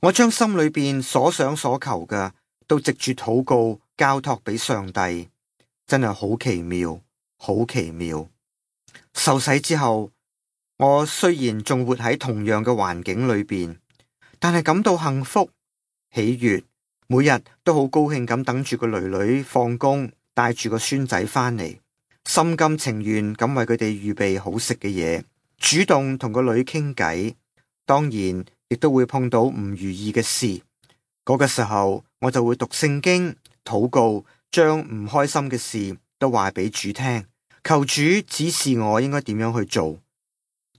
我將心裏邊所想所求嘅，都藉住禱告交託俾上帝，真係好奇妙，好奇妙。受洗之後，我雖然仲活喺同樣嘅環境裏邊，但係感到幸福、喜悅，每日都好高興咁等住個女女放工，帶住個孫仔返嚟，心甘情願咁為佢哋預備好食嘅嘢，主動同個女傾偈。當然亦都會碰到唔如意嘅事，嗰個時候我就會讀聖經、禱告，將唔開心嘅事都話俾主聽，求主指示我應該點樣去做。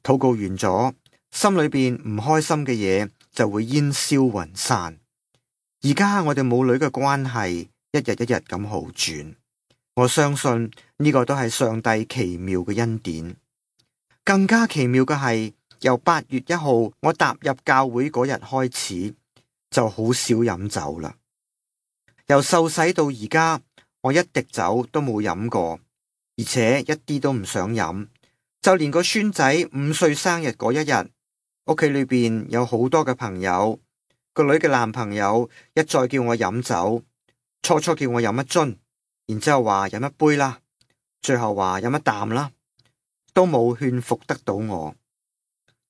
禱告完咗，心裏邊唔開心嘅嘢就會煙消雲散。而家我哋母女嘅關係一日一日咁好轉，我相信呢個都係上帝奇妙嘅恩典。更加奇妙嘅係，由8月1號我踏入教會嗰日開始，就好少飲酒啦。由受洗到而家，我一滴酒都冇飲過，而且一啲都唔想飲。就連個孫仔5歲生日嗰一日，屋企裏邊有好多嘅朋友，個女嘅男朋友一再叫我飲酒，初初叫我飲一樽，然之後話飲一杯啦，最後話飲一啖啦，都冇勸服得到我。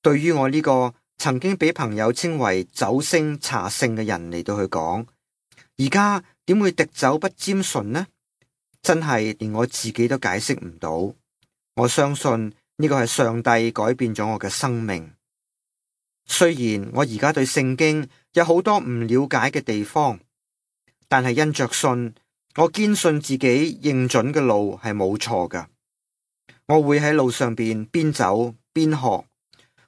對於我呢個曾經俾朋友稱為酒聖茶聖嘅人嚟到去講，而家點會滴酒不沾唇呢？真係連我自己都解釋唔到。我相信呢個係上帝改變咗我嘅生命。雖然我而家對聖經有好多唔了解嘅地方，但係因着信，我堅信自己認準嘅路係冇錯㗎。我會喺路上邊走邊學，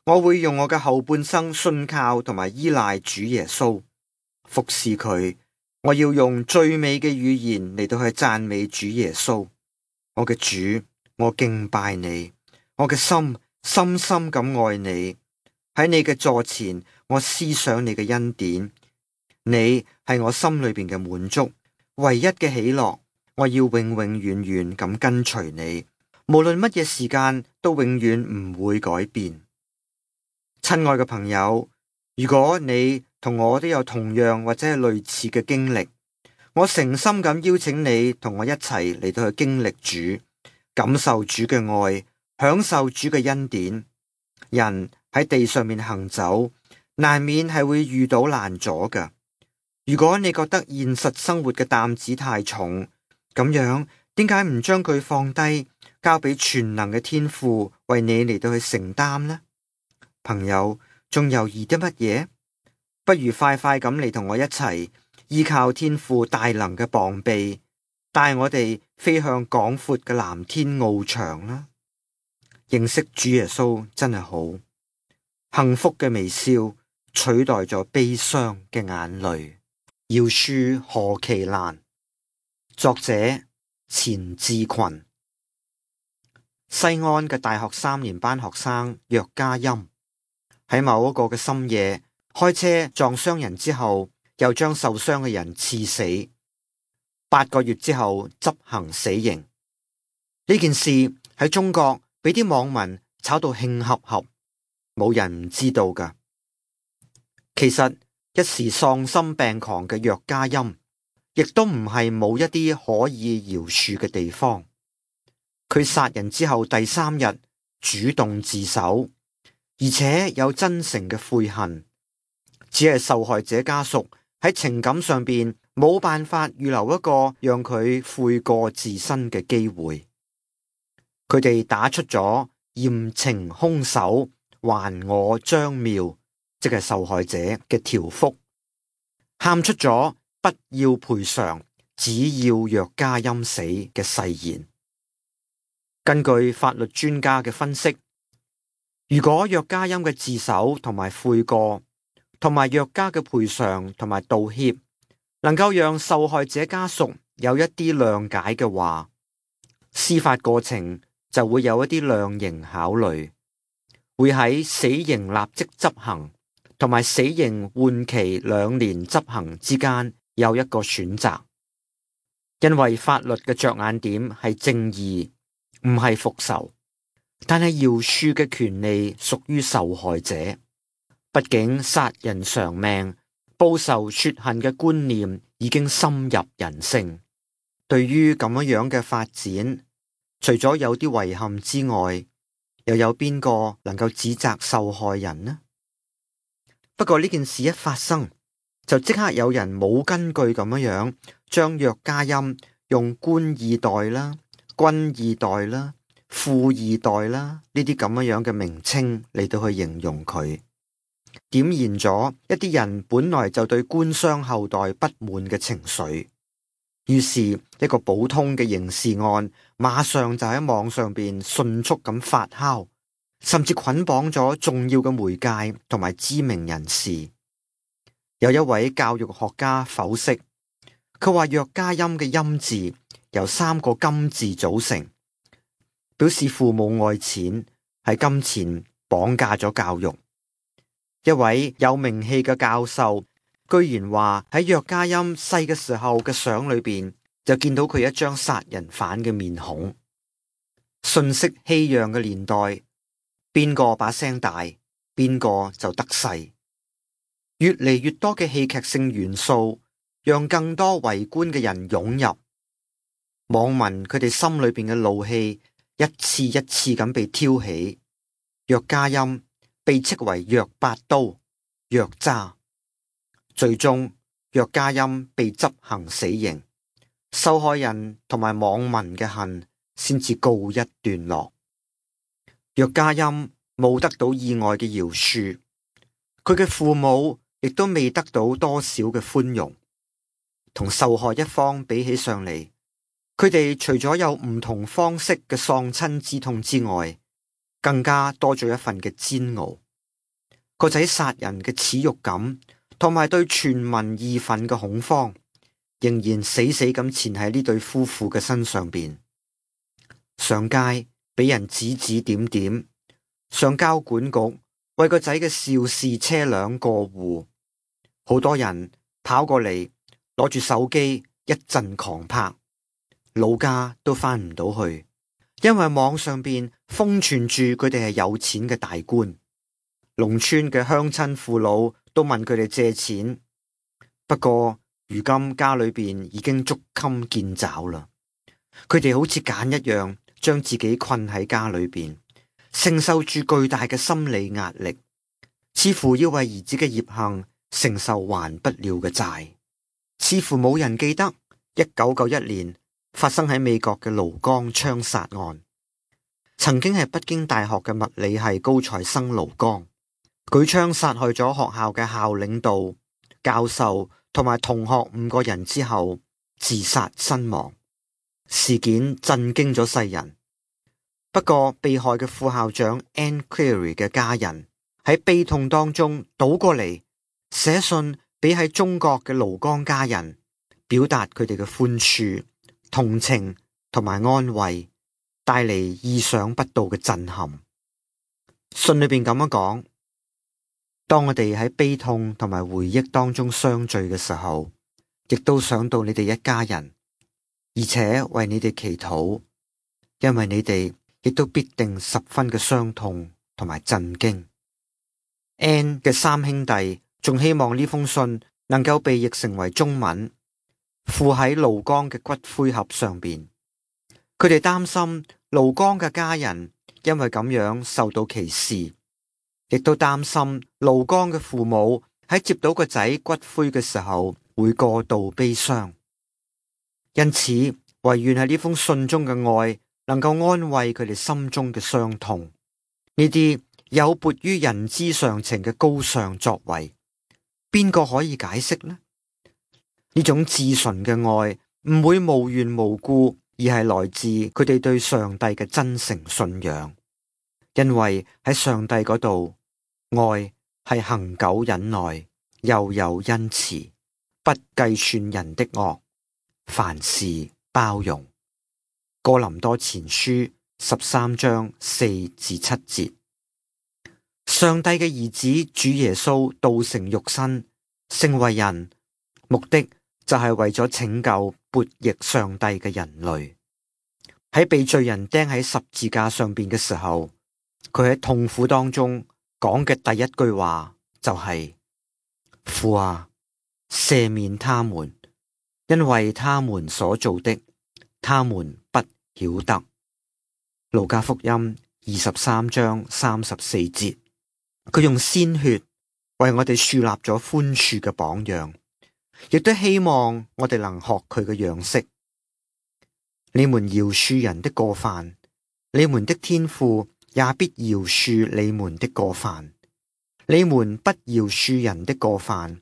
我會用我嘅後半生信靠同埋依賴主耶穌，服侍佢。我要用最美嘅語言嚟到去讚美主耶穌。我嘅主，我敬拜你，我嘅心深深咁愛你。喺你嘅座前，我思想你嘅恩典。你係我心裏邊嘅滿足，唯一嘅喜樂。我要永永遠遠咁跟隨你，無論乜嘢時間都永遠唔會改變。親愛嘅朋友，如果你同我都有同樣或者係類似嘅經歷，我誠心咁邀請你同我一齊嚟到去經歷主，感受主嘅愛，享受主嘅恩典。人喺地上面行走，難免係會遇到難阻㗎。如果你覺得現實生活嘅擔子太重，咁樣點解唔將佢放低，交俾全能嘅天父為你嚟到去承擔呢？朋友，仲猶豫啲乜嘢？不如快快咁嚟同我一齊依靠天父大能嘅膀臂，帶我哋飛向廣闊嘅藍天翱翔啦！認識主耶穌真係好，幸福嘅微笑取代咗悲傷嘅眼淚。饒恕何其難！作者錢志群。西安嘅大學3年班學生約嘉音喺某一個嘅深夜開車撞傷人之後，又將受傷嘅人刺死。8個月之後執行死刑。呢件事喺中國俾啲網民炒到興合合，冇人唔知道噶。其實一時喪心病狂嘅約嘉音，亦都唔係冇一啲可以饒恕嘅地方。佢殺人之後第3日主動自首，而且有真誠嘅悔恨，只係受害者家屬喺情感上邊冇辦法預留一個讓佢悔過自新嘅機會。佢哋打出咗嚴懲兇手，還我張妙，即係受害者嘅條幅，喊出咗不要賠償，只要約嘉音死嘅誓言。根據法律專家嘅分析，如果約嘉音嘅自首同埋悔過，同埋約嘉嘅賠償同埋道歉，能夠讓受害者家屬有一啲諒解嘅話，司法過程就會有一啲量刑考慮，會喺死刑立即執行同埋死刑緩期2年執行之間有一個選擇。因為法律嘅着眼點係正義，唔係復仇，但係饒恕嘅權利屬於受害者。畢竟殺人償命、報仇雪恨嘅觀念已經深入人性。對於咁樣嘅發展，除咗有啲遺憾之外，又有邊個能夠指責受害人呢？不過呢件事一發生，就即刻有人冇根據咁樣將約嘉音用官二代啦、軍二代啦、富二代啦呢啲咁樣嘅名稱嚟到去形容佢，點燃咗一啲人本來就對官商後代不滿嘅情緒。於是一個普通嘅刑事案馬上就喺網上邊迅速咁發酵，甚至捆綁咗重要嘅媒介同埋知名人士。有一位教育學家剖析，佢話約嘉音嘅音字由3個金字組成，表示父母愛錢，係金錢綁架咗教育。一位有名氣嘅教授居然話喺約嘉音細嘅時候嘅相裏邊就見到佢一張殺人犯嘅面孔。瞬息熙攘嘅年代，邊個把聲大，邊個就得勢。越嚟越多嘅戲劇性元素，讓更多圍觀嘅人湧入。網民佢哋心裏邊嘅怒氣一次一次咁被挑起。約嘉音被斥為約8刀、約渣。最終約嘉音被執行死刑，受害人同埋網民嘅恨先至告一段落。約嘉音冇得到意外嘅饒恕，佢嘅父母亦都未得到多少嘅寬容。同受害一方比起上嚟，佢哋除咗有唔同方式嘅喪親之痛之外，更加多咗一份嘅煎熬。個仔殺人嘅恥辱感，同埋對全民義憤嘅恐慌，仍然死死咁纏喺呢對夫婦嘅身上邊。上街俾人指指點點，上交管局為個仔嘅肇事車輛過戶，好多人跑過嚟攞住手機一陣狂拍，老家都翻唔到去，因為網上邊瘋傳住佢哋係有錢嘅大官。農村嘅鄉親父老都問佢哋借錢，不過如今家裏邊已經捉襟見肘啦。佢哋好似繭一樣，將自己困喺家裏邊，承受住巨大嘅心理壓力，似乎要為兒子嘅孽行承受還不了嘅債。似乎冇人記得1991年發生喺美國嘅盧江槍殺案，曾經係北京大學嘅物理系高材生盧江，舉槍殺害咗學校嘅校領導、教授同同埋同學5個人之後自殺身亡。事件震驚咗世人。不過被害嘅副校長 Anne Cleary 嘅家人喺悲痛當中倒過嚟寫信俾喺中國嘅盧剛家人，表達佢哋嘅寬恕、同情同埋安慰，帶嚟意想不到嘅震撼。信裏邊咁樣講：當我哋喺悲痛同埋回憶當中相聚嘅時候，亦都想到你哋一家人，而且為你哋祈禱，因為你哋亦都必定十分嘅傷痛同埋震驚。Anne 嘅3兄弟仲希望呢封信能夠被譯成為中文，附喺盧剛嘅骨灰盒上邊。佢哋擔心盧剛嘅家人因為咁樣受到歧視，亦都擔心盧剛嘅父母喺接到個仔骨灰嘅時候會過度悲傷。因此，唯願喺呢封信中嘅愛能夠安慰佢哋心中嘅傷痛。呢啲有別於人之常情嘅高尚作為，邊個可以解釋呢？呢種至純嘅愛唔會無緣無故，而係來自佢哋對上帝嘅真誠信仰。因為喺上帝嗰度，愛係恆久忍耐，又有恩慈，不計算人的惡，凡事包容。哥林多前書13章4至7節。上帝嘅兒子主耶穌道成肉身，成為人，目的就係為咗拯救悖逆上帝嘅人類。喺被罪人釘喺十字架上邊嘅時候，佢喺痛苦當中講嘅第一句話就係：父啊，赦免他們，因為他們所做的，他們不曉得。路加福音23章34節。佢用鮮血為我哋樹立咗寬恕嘅榜樣，亦都希望我哋能學佢嘅樣式。你們饒恕人的過犯，你們的天父也必饒恕你們的過犯；你們不饒恕人的過犯，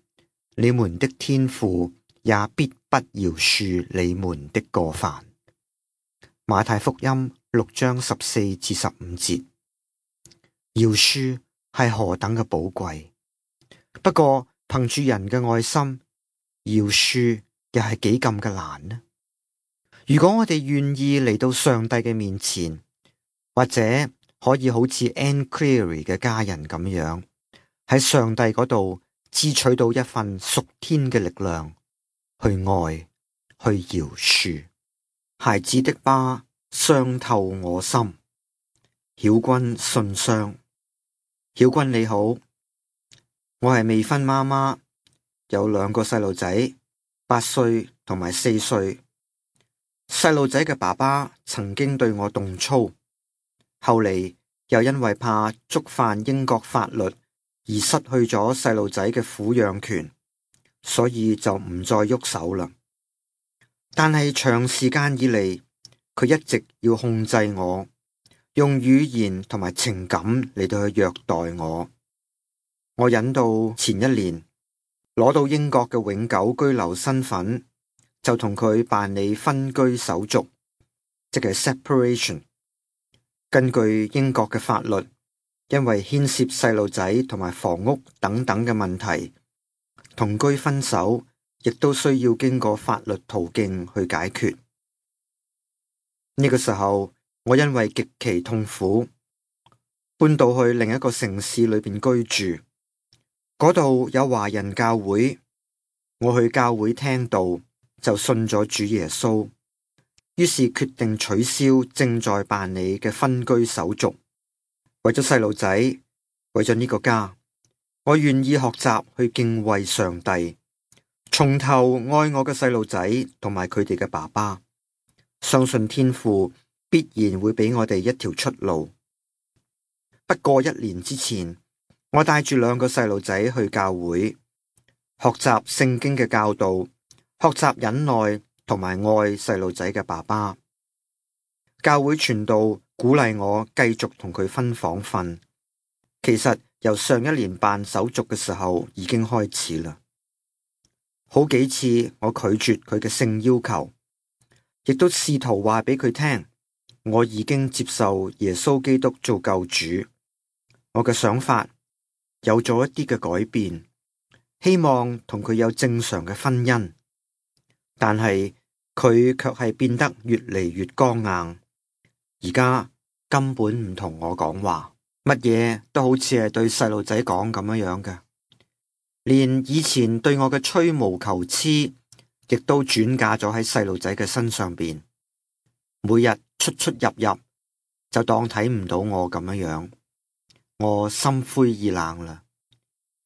你們的天父也必不饒恕你們的過犯。馬太福音6章14至15節。饒恕係何等嘅寶貴，不過憑住人嘅愛心，饒恕又係幾咁嘅難呢？如果我哋願意嚟到上帝嘅面前，或者可以好似 Anne Cleary 嘅家人咁樣，喺上帝嗰度支取到一份屬天嘅力量，去愛，去饒恕。孩子的疤傷透我心，曉君信箱。曉君你好，我係未婚媽媽，有2個細路仔，8歲同埋4歲。細路仔嘅爸爸曾經對我動粗，後嚟又因為怕觸犯英國法律而失去咗細路仔嘅撫養權，所以就唔再喐手啦。但係長時間以嚟，佢一直要控制我，用語言同埋情感嚟到去虐待我。我忍到前1年攞到英國嘅永久居留身份，就同佢辦理分居手續，即係 separation。根據英國嘅法律，因為牽涉細路仔同埋房屋等等嘅問題，同居分手亦都需要經過法律途徑去解決。呢個時候，我因為極其痛苦，搬到去另一個城市裏邊居住，嗰度有華人教會，我去教會聽道，就信咗主耶穌，於是決定取消正在辦理嘅分居手續。為咗細路仔，為咗呢個家，我願意學習去敬畏上帝，從頭愛我嘅細路仔同埋佢哋嘅爸爸，相信天父必然會俾我哋一條出路。不過1年之前，我帶住2個細路仔去教會，學習聖經嘅教導，學習忍耐同埋愛細路仔嘅爸爸。教會傳道鼓勵我繼續同佢分房瞓，其實由上1年辦手續嘅時候已經開始啦。好幾次我拒絕佢嘅性要求，亦都試圖話俾佢聽，我已經接受耶穌基督做救主。我嘅想法有咗一啲嘅改變，希望同佢有正常嘅婚姻，但係佢卻係變得越嚟越剛硬。而家根本唔同我講話，乜嘢都好似係對細路仔講咁樣嘅。連以前對我嘅吹毛求疵，亦都轉嫁咗喺細路仔嘅身上邊。每日出出入入，就當睇唔到我咁樣。我心灰意冷啦。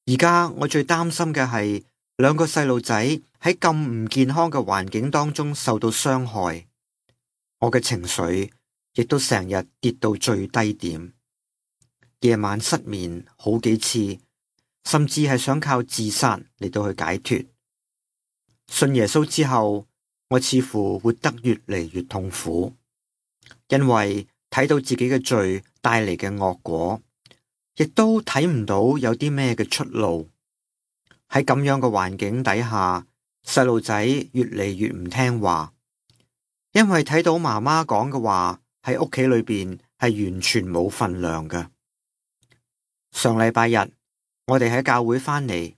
而家我最擔心嘅係兩個細路仔喺咁唔健康嘅環境當中受到傷害。我嘅情緒亦都成日跌到最低點，夜晚失眠好幾次。甚至係想靠自殺嚟到去解脫。信耶穌之後，我似乎活得越嚟越痛苦，因為睇到自己嘅罪帶嚟嘅惡果，亦都睇唔到有啲咩嘅出路。喺咁樣嘅環境底下，細路仔越嚟越唔聽話，因為睇到媽媽講嘅話喺屋企裏邊係完全冇份量嘅。上禮拜日，我哋喺教會返嚟，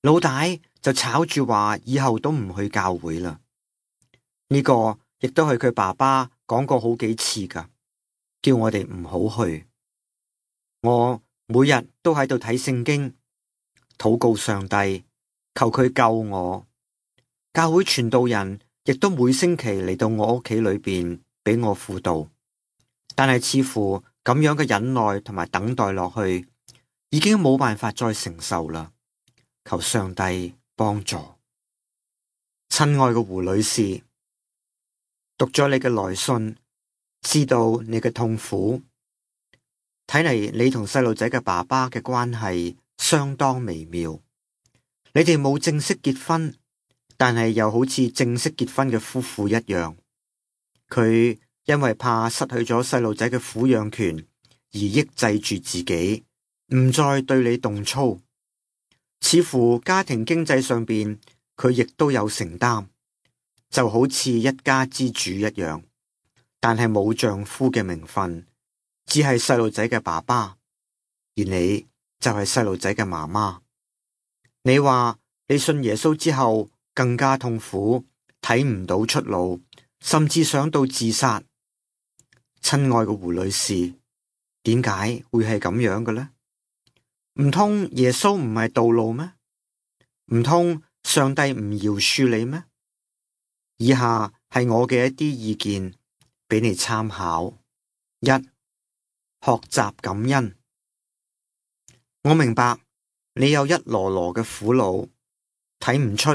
老大就吵住話以後都唔去教會啦。呢個亦都係佢爸爸講過好幾次噶，叫我哋唔好去。我每日都喺度睇聖經，禱告上帝，求佢救我。教會傳道人亦都每星期嚟到我屋企裏邊俾我輔導，但係似乎咁樣嘅忍耐同埋等待落去，已經冇辦法再承受啦，求上帝幫助。親愛嘅胡女士，讀咗你嘅來信，知道你嘅痛苦，睇嚟你同細路仔嘅爸爸嘅關係相當微妙。你哋冇正式結婚，但係又好似正式結婚嘅夫婦一樣。佢因為怕失去咗細路仔嘅撫養權而抑制住自己，唔再對你動粗，似乎家庭經濟上邊佢亦都有承擔，就好似一家之主一樣，但係冇丈夫嘅名分，只係細路仔嘅爸爸，而你就係細路仔嘅媽媽。你話你信耶穌之後更加痛苦，睇唔到出路，甚至想到自殺。親愛嘅胡女士，點解會係咁樣嘅呢？唔通耶穌唔係道路咩？唔通上帝唔饒恕你咩？以下係我嘅一啲意見俾你參考。一、學習感恩。我明白你有一籮籮嘅苦惱，睇唔出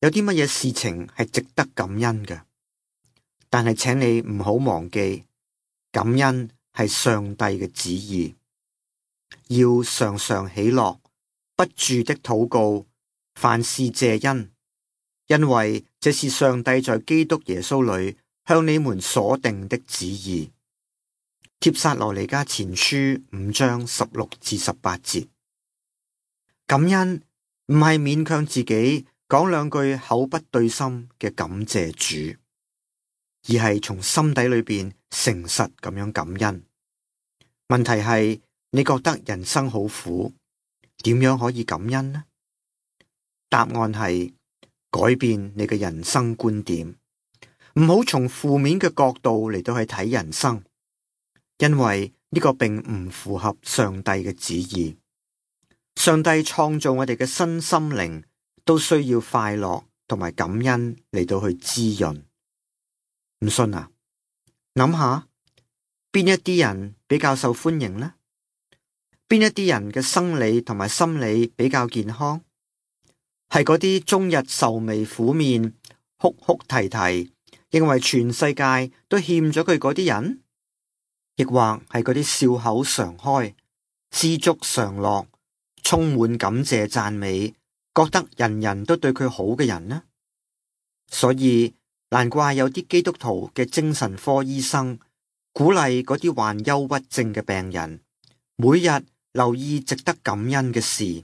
有啲乜嘢事情係值得感恩嘅。但係請你唔好忘記，感恩係上帝嘅旨意。要常常喜樂，不住的禱告，凡事謝恩，因為這是上帝在基督耶穌裏向你們所定的旨意。帖撒羅尼迦前書5章16至18節。感恩唔係勉強自己講兩句口不對心嘅感謝主，而係從心底裏邊誠實咁樣感恩。問題係，你覺得人生好苦，點樣可以感恩呢？答案係改變你嘅人生觀點，唔好從負面嘅角度嚟到去睇人生，因為呢個並唔符合上帝嘅旨意。上帝創造我哋嘅身心靈都需要快樂同埋感恩嚟到去滋潤。唔信啊？諗下邊一啲人比較受歡迎呢？邊一啲人嘅生理同埋心理比較健康？係嗰啲終日愁眉苦面、哭哭啼啼，認為全世界都欠咗佢嗰啲人？亦或係嗰啲笑口常開、知足常樂、充滿感謝讚美，覺得人人都對佢好嘅人呢？所以難怪有啲基督徒嘅精神科醫生鼓勵嗰啲患憂鬱症嘅病人，每日留意值得感恩嘅事，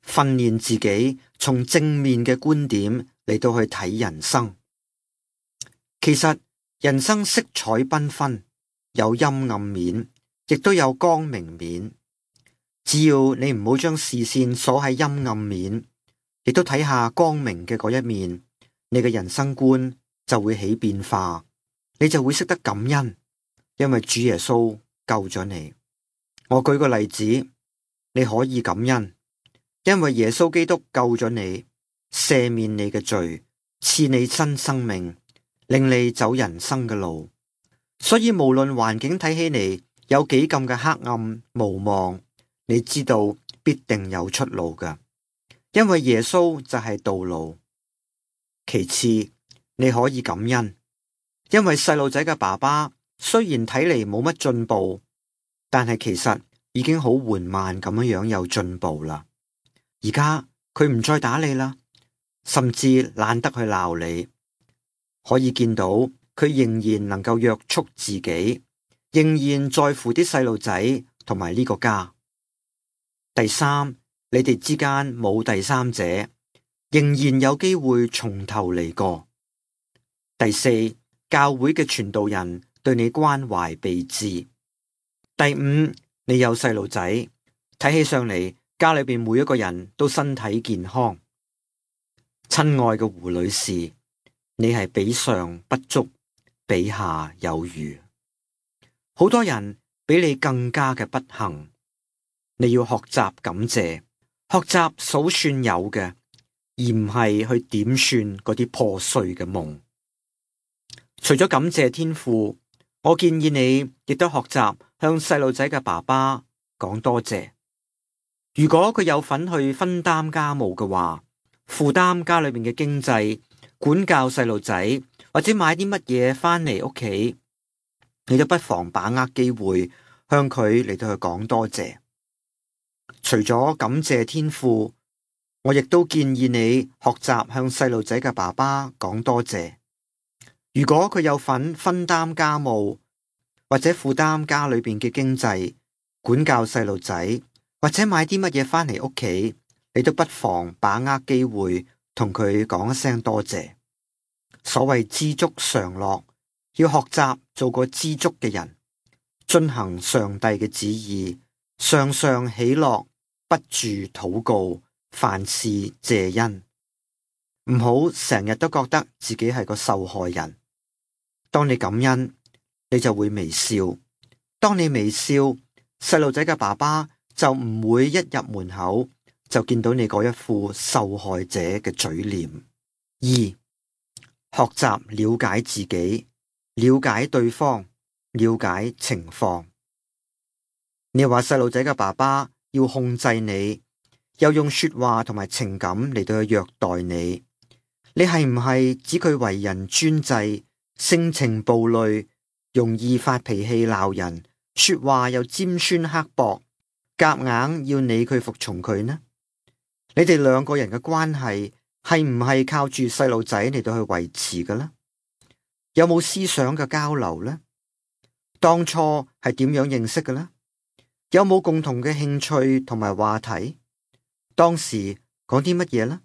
訓練自己從正面嘅觀點嚟到去睇人生。其實人生色彩繽紛，有陰暗面，亦都有光明面。只要你唔好將視線鎖喺陰暗面，亦都睇下光明嘅嗰一面，你嘅人生觀就會起變化，你就會識得感恩，因為主耶穌救咗你。我舉個例子，你可以感恩，因為耶穌基督救咗你，赦免你嘅罪，賜你新生命，令你走人生嘅路。所以無論環境睇起嚟有幾咁嘅黑暗無望，你知道必定有出路㗎，因為耶穌就係道路。其次，你可以感恩，因為細路仔嘅爸爸雖然睇嚟冇乜進步，但係其實已經好緩慢咁樣有進步啦。而家佢唔再打你啦，甚至懶得去鬧你，可以見到佢仍然能夠約束自己，仍然在乎啲細路仔同埋呢個家。第三，你哋之間冇第三者，仍然有機會從頭嚟過。第四，教會嘅傳道人對你關懷備至。第五，你有細路仔，睇起上嚟家裏邊每一個人都身體健康。親愛嘅胡女士，你係比上不足，比下有餘。好多人比你更加嘅不幸。你要學習感謝，學習數算有嘅，而唔係去點算嗰啲破碎嘅夢。除咗感謝天父，我建議你亦都學習向細路仔嘅爸爸講多謝。如果佢有份去分擔家務嘅話，負擔家裏面嘅經濟，管教細路仔，或者買啲乜嘢返嚟屋企，你都不妨把握機會向佢嚟到去講多謝。除咗感謝天父，我亦都建議你學習向細路仔嘅爸爸講多謝。如果佢有份分擔家務，或者負擔家裏邊嘅經濟，管教細路仔，或者買啲乜嘢返嚟屋企，你都不妨把握機會同佢講一聲多謝。所謂知足常樂，要學習做個知足嘅人，遵行上帝嘅旨意，常常喜樂，不住禱告，凡事謝恩。唔好成日都覺得自己係個受害人。當你感恩，你就會微笑。當你微笑，細路仔嘅爸爸就唔會一入門口就見到你嗰一副受害者嘅嘴臉。二、學習了解自己，了解對方，了解情況。你話細路仔嘅爸爸要控制你，又用說話同埋情感嚟到去虐待你，你係唔係指佢為人專制，性情暴戾，容易發脾氣鬧人，說話又尖酸刻薄，夾硬要你佢服從佢呢？你哋兩個人嘅關係係唔係靠住細路仔嚟到去維持嘅呢？有冇思想嘅交流呢？當初係點樣認識嘅呢？有冇共同嘅興趣同埋話題？當時講啲乜嘢呢？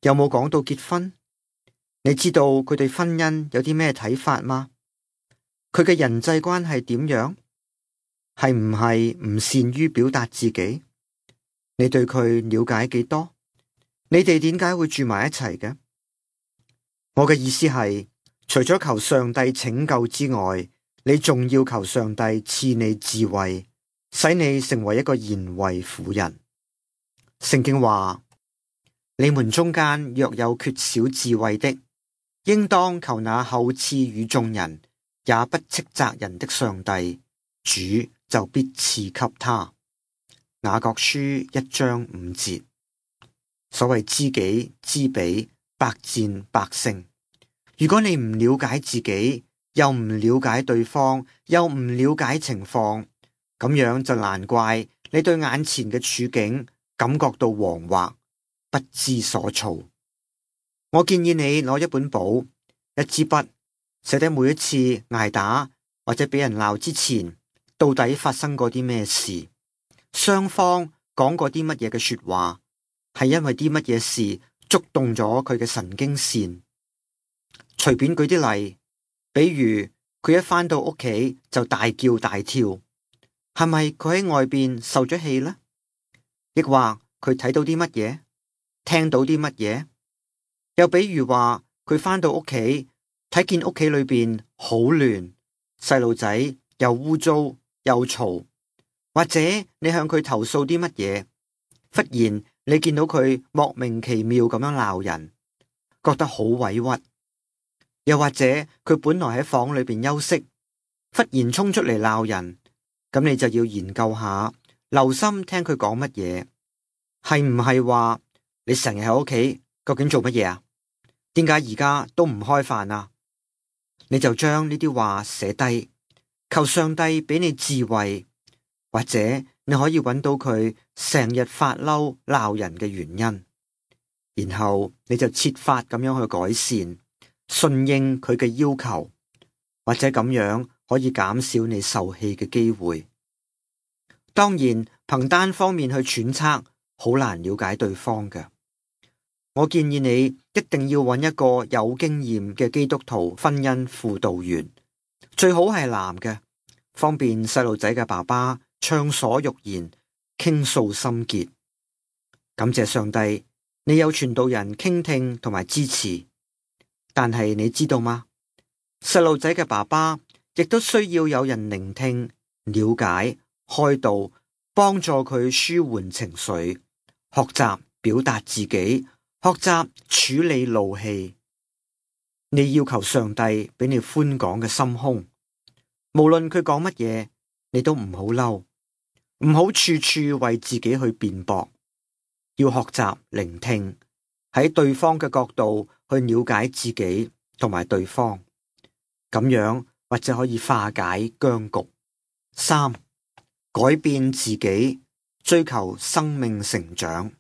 有冇講到結婚？你知道佢對婚姻有啲咩睇法嗎？佢嘅人際關係點樣？係唔係唔善於表達自己？你對佢了解幾多？你哋點解會住埋一齊嘅？我嘅意思係，除咗求上帝拯救之外，你仲要求上帝賜你智慧，使你成為一個賢惠婦人。聖經話：你們中間若有缺少智慧的，應當求那厚賜與眾人，也不斥責人的上帝，主就必賜給他。雅各書1章5節。所謂知己知彼，百戰百勝。如果你唔了解自己，又唔了解對方，又唔了解情況，咁樣就難怪你對眼前嘅處境感覺到惶惑，不知所措。我建議你攞一本簿，一支筆，寫低每一次捱打或者俾人鬧之前，到底發生過啲咩事，雙方講過啲乜嘢嘅說話，係因為啲乜嘢事觸動咗佢嘅神經線。隨便舉啲例，比如佢一返到屋企就大叫大跳，係咪佢喺外邊受咗氣呢？亦或佢睇到啲乜嘢，聽到啲乜嘢？又比如話佢返到屋企睇見屋企裏邊好亂，細路仔又污糟又嘈，或者你向佢投訴啲乜嘢，忽然你見到佢莫名其妙咁樣鬧人，覺得好委屈。又或者佢本來喺房裏邊休息，忽然衝出嚟鬧人，咁你就要研究下，留心聽佢講乜嘢，係唔係話你成日喺屋企，究竟做乜嘢啊？點解而家都唔開飯啊？你就將呢啲話寫低，求上帝俾你智慧，或者你可以揾到佢成日發嬲鬧人嘅原因，然後你就設法咁樣去改善，順應佢嘅要求，或者咁樣可以減少你受氣嘅機會。當然，憑單方面去揣測，好難了解對方嘅。我建議你一定要揾一個有經驗嘅基督徒婚姻輔導員，最好係男嘅，方便細路仔嘅爸爸暢所欲言，傾訴心結。感謝上帝，你有傳道人傾聽同埋支持。但係你知道嗎？細路仔嘅爸爸亦都需要有人聆聽、了解、開導，幫助佢舒緩情緒，學習表達自己，學習處理怒氣。你要求上帝俾你寬廣嘅心胸，無論佢講乜嘢，你都唔好嬲，唔好處處為自己去辯駁，要學習聆聽，喺對方嘅角度去了解自己同埋對方，咁樣或者可以化解僵局。3、改變自己，追求生命成長。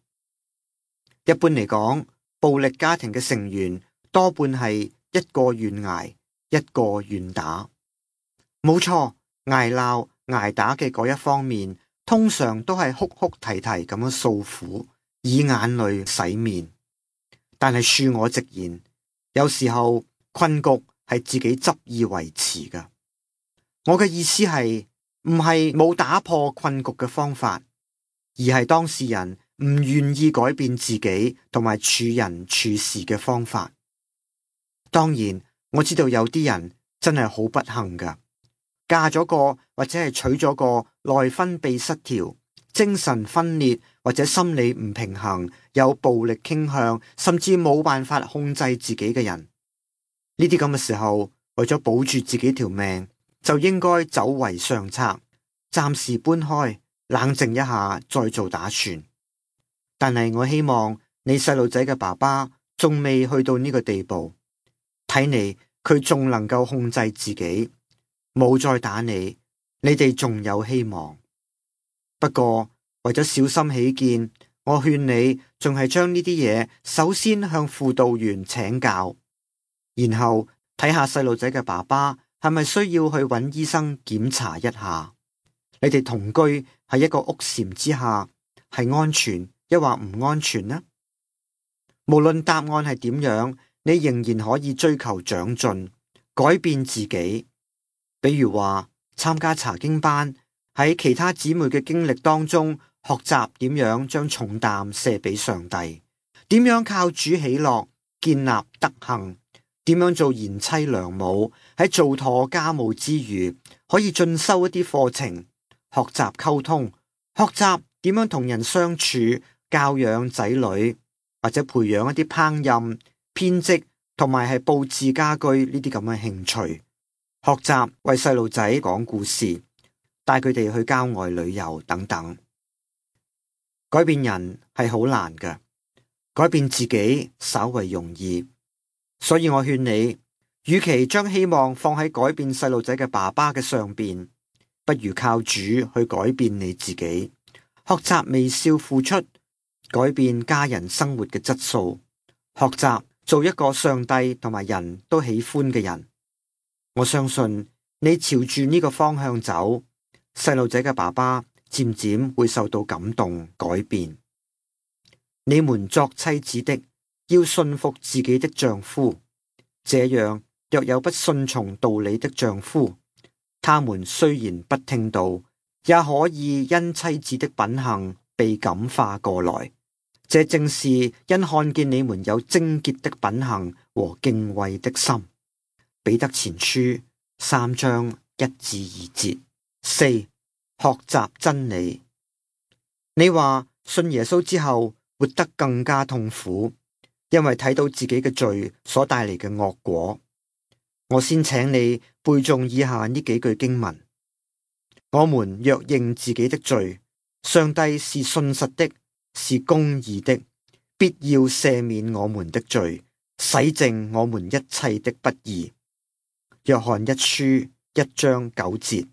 一般嚟講，暴力家庭嘅成員多半係一個願挨，一個願打。冇錯，挨鬧挨打嘅嗰一方面，通常都係哭哭啼啼咁樣訴苦，以眼淚洗面。但係恕我直言，有時候困局係自己執意維持㗎。我嘅意思係，唔係冇打破困局嘅方法，而係當事人唔願意改變自己同埋處人處事嘅方法。當然，我知道有啲人真係好不幸㗎，嫁咗個或者係娶咗個內分泌失調、精神分裂或者心理唔平衡、有暴力傾向，甚至冇辦法控制自己嘅人。呢啲咁嘅時候，為咗保住自己條命，就應該走為上策，暫時搬開，冷靜一下再做打算。但係我希望你細路仔嘅爸爸仲未去到呢個地步，睇嚟佢仲能夠控制自己，冇再打你，你哋仲有希望。不過為咗小心起見，我勸你仲係將呢啲嘢首先向輔導員請教，然後睇下細路仔嘅爸爸係咪需要去揾醫生檢查一下。你哋同居喺一個屋檐之下，係安全抑或唔安全呢？無論答案係點樣，你仍然可以追求長進，改變自己。比如話參加查經班，喺其他姊妹嘅經歷當中學習點樣將重擔卸俾上帝，點樣靠主喜樂建立德行，點樣做賢妻良母，喺做妥家務之餘可以進修一啲課程，學習溝通，學習點樣同人相處，教養仔女，或者培養一啲烹飪、編織同埋係佈置家居呢啲咁嘅興趣，學習為細路仔講故事，帶佢哋去郊外旅遊等等。改變人係好難嘅，改變自己稍為容易。所以我勸你，與其將希望放喺改變細路仔嘅爸爸嘅上邊，不如靠主去改變你自己，學習微笑付出，改變家人生活嘅質素，學習做一個上帝同埋人都喜歡嘅人。我相信你朝住呢個方向走，細路仔嘅爸爸漸漸會受到感動改變。你們作妻子的，要順服自己的丈夫。這樣，若有不順從道理的丈夫，他們雖然不聽道，也可以因妻子的品行被感化過來。這正是因看見你們有貞潔的品行和敬畏的心。彼得前書3章1至2節。4. 學習真理。你話信耶穌之後活得更加痛苦，因為睇到自己嘅罪所帶嚟嘅惡果。我先請你背誦以下呢幾句經文：我們若認自己的罪，上帝是信實的，是公義的，必要赦免我們的罪，洗淨我們一切的不義。約翰一書1章9節。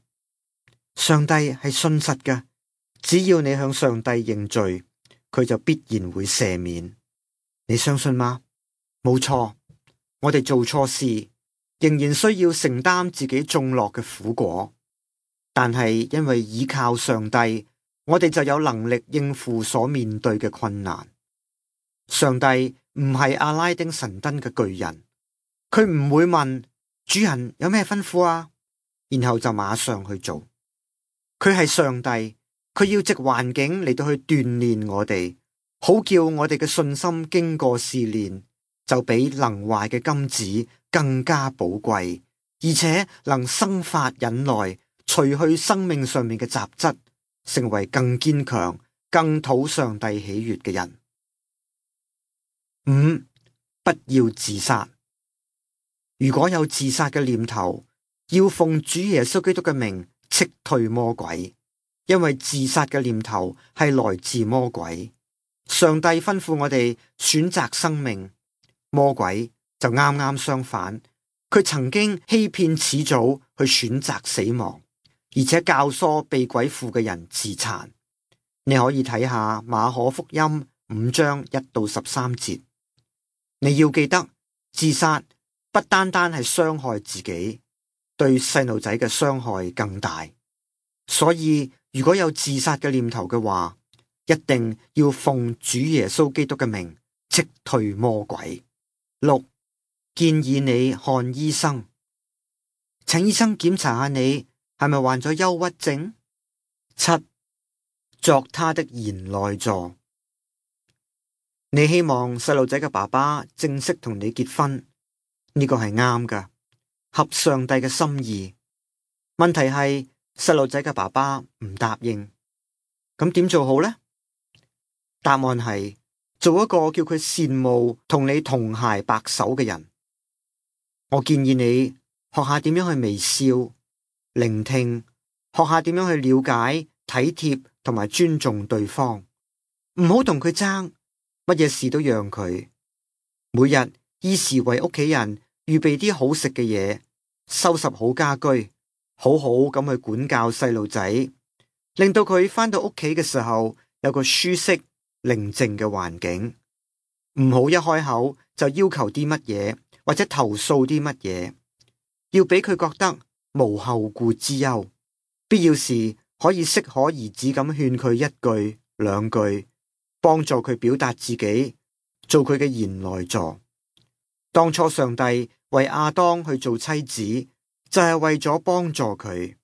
上帝係信實嘅，只要你向上帝認罪，佢就必然會赦免。你相信嗎？冇錯，我哋做錯事，仍然需要承擔自己種落嘅苦果，但係因為倚靠上帝，我哋就有能力應付所面對嘅困難。上帝唔係阿拉丁神燈嘅巨人，佢唔會問主人有咩吩咐啊，然後就馬上去做。佢係上帝，佢要藉環境嚟到去鍛煉我哋，好叫我哋嘅信心經過試煉，就比能壞嘅金子更加寶貴，而且能生發忍耐，除去生命上面嘅雜質，成為更堅強、更討上帝喜悅嘅人。5. 不要自殺。如果有自殺嘅念頭，要奉主耶穌基督嘅名斥退魔鬼，因為自殺嘅念頭係來自魔鬼。上帝吩咐我哋選擇生命，魔鬼就啱啱相反，佢曾經欺騙始祖去選擇死亡，而且教唆被鬼附嘅人自殘。你可以睇下馬可福音5章1到13節。你要記得，自殺不單單係傷害自己，對細路仔嘅傷害更大。所以如果有自殺嘅念頭嘅話，一定要奉主耶穌基督嘅名斥退魔鬼。6. 建議你看醫生，請醫生檢查下你係咪患咗憂鬱症。7. 作他的賢內助。你希望細路仔嘅爸爸正式同你結婚，呢個係啱㗎，合上帝嘅心意。問題係細路仔嘅爸爸唔答應，咁點做好呢？答案係做一個叫佢羨慕同你同鞋白手嘅人。我建議你學下點樣去微笑、聆聽，學下點樣去了解、體貼同埋尊重對方，唔好同佢爭，乜嘢事都讓佢。每日依時為屋企人預備啲好食嘅嘢，收拾好家居，好好咁去管教細路仔，令到佢返到屋企嘅時候有個舒適寧靜嘅環境。唔好一開口就要求啲乜嘢，或者投訴啲乜嘢，要俾佢覺得無後顧之憂。必要時可以適可而止咁勸佢一句兩句，幫助佢表達自己，做佢嘅賢內助。當初上帝為亞當去做妻子，就係為咗幫助佢。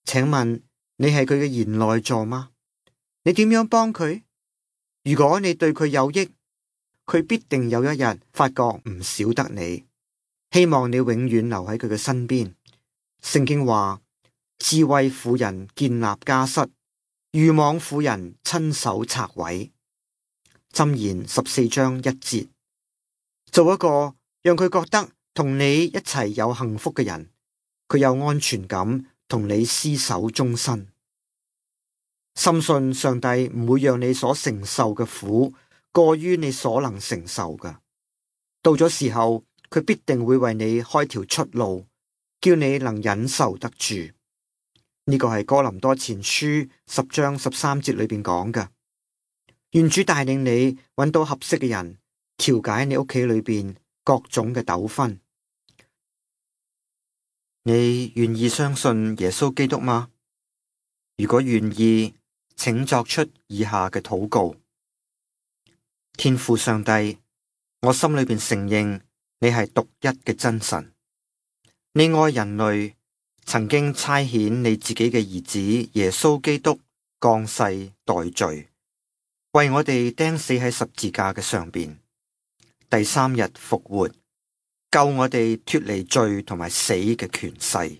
請問你係佢嘅賢內助嗎？你點樣幫佢？如果你對佢有益，佢必定有一日發覺唔少得你。希望你永遠留喺佢嘅身邊。聖經話：智慧婦人建立家室，愚妄婦人親手拆毀。箴言14章1節。做一個讓佢覺得同你一齊有幸福嘅人，佢有安全感，同你廝守終身。深信上帝唔會讓你所承受嘅苦過於你所能承受嘅。到咗時候，佢必定會為你開條出路，叫你能忍受得住。呢個係哥林多前書10章13節裏邊講嘅。願主帶領你揾到合適嘅人，調解你屋企裏邊各種嘅糾紛。你願意相信耶穌基督嗎？如果願意，請作出以下嘅禱告。天父上帝，我心裏邊承認你係獨一嘅真神，你愛人類，曾經差遣你自己嘅兒子耶穌基督降世代罪，為我哋釘死喺十字架嘅上邊，第3日復活，救我哋脫離罪同埋死嘅權勢。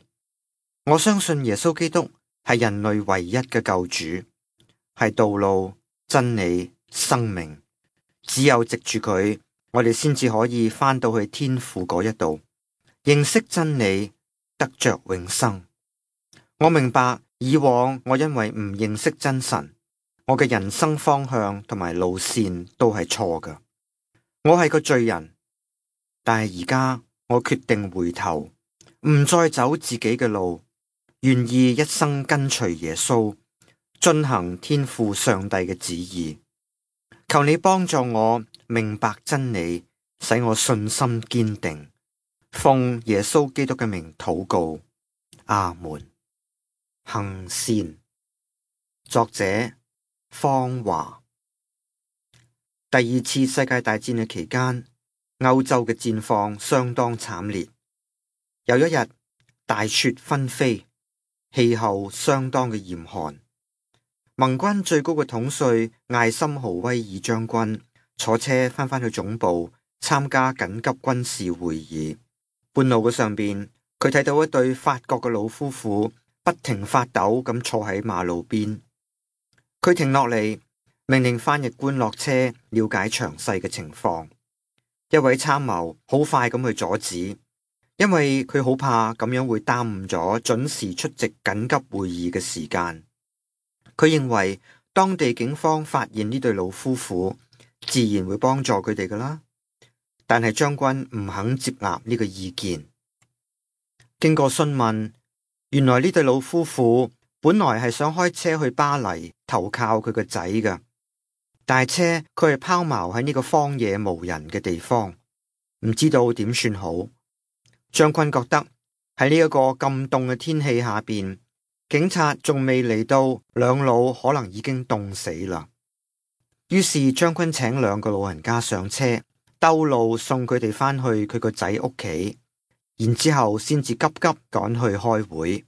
我相信耶穌基督係人類唯一嘅救主，係道路、真理、生命。只有藉住佢，我哋先至可以返到去天父嗰一度，認識真理，得着永生。我明白以往我因為唔認識真神，我嘅人生方向同埋路線都係錯㗎。我係個罪人，但係而家我決定回頭，唔再走自己嘅路，願意一生跟隨耶穌，遵行天父上帝嘅旨意。求你幫助我明白真理，使我信心堅定。奉耶穌基督嘅名禱告，阿門。行善。作者方華。第2次世界大戰嘅期間，歐洲嘅戰況相當慘烈。有一日，大雪紛飛，氣候相當嘅嚴寒。盟軍最高嘅統帥艾森豪威爾將軍坐車返去總部參加緊急軍事會議。半路嘅上邊，佢睇到一對法國嘅老夫婦不停發抖咁坐喺馬路邊。佢停落嚟，命令翻譯官落車了解詳細嘅情況。一位參謀好快咁去阻止，因為佢好怕咁樣會耽誤咗準時出席緊急會議嘅時間。佢認為當地警方發現呢對老夫婦，自然會幫助佢哋噶啦。但係將軍唔肯接納呢個意見。經過詢問，原來呢對老夫婦本來係想開車去巴黎投靠佢個仔㗎，但係車佢係拋錨喺呢個荒野無人嘅地方，唔知道點算好。將軍覺得喺呢一個咁凍嘅天氣下邊，警察仲未嚟到，兩老可能已經凍死啦。於是將軍請2個老人家上車，兜路送佢哋返去佢個仔屋企，然之後先至急急趕去開會。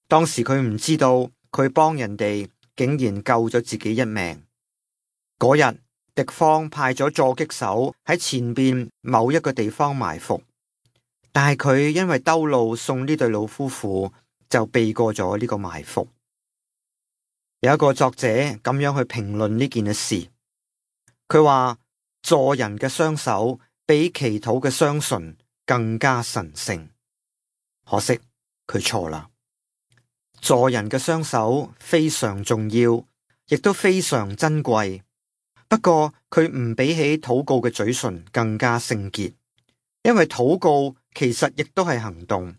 當時佢唔知道，佢幫人哋竟然救咗自己一命。嗰日敵方派咗狙擊手喺前邊某一個地方埋伏，但係佢因為兜路送呢對老夫婦，就避過咗呢個埋伏。有一個作者咁樣去評論呢件事，佢話助人嘅雙手比祈禱嘅雙唇更加神聖。可惜佢錯啦，助人嘅雙手非常重要，亦都非常珍貴。不過佢唔比起禱告嘅嘴唇更加聖潔，因為禱告其實亦都係行動。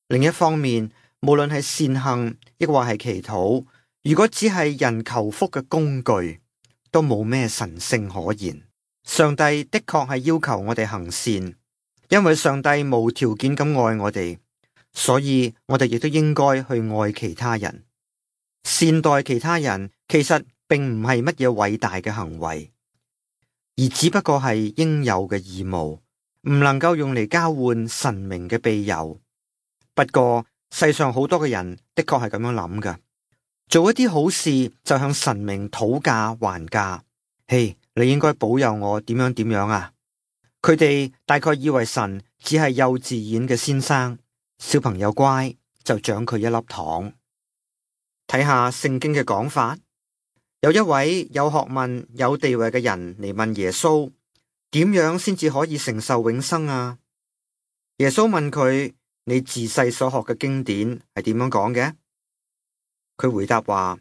另一方面，無論係善行亦或係祈禱，如果只係人求福嘅工具，都冇咩神聖可言。上帝的確係要求我哋行善，因為上帝無條件咁愛我哋，所以我哋亦都應該去愛其他人。善待其他人其實並唔係乜嘢偉大嘅行為，而只不過係應有嘅義務，唔能夠用嚟交換神明嘅庇佑。不過世上好多嘅人的確係咁樣諗㗎，做一啲好事就向神明討價還價。嘿，你應該保佑我點樣點樣啊！佢哋大概以為神只係幼稚園嘅先生，小朋友乖就獎佢一粒糖。睇下聖經嘅講法，有一位有學問有地位嘅人嚟問耶穌，點樣先至可以承受永生啊？耶穌問佢：你自細所學嘅經典係點樣講嘅？佢回答話：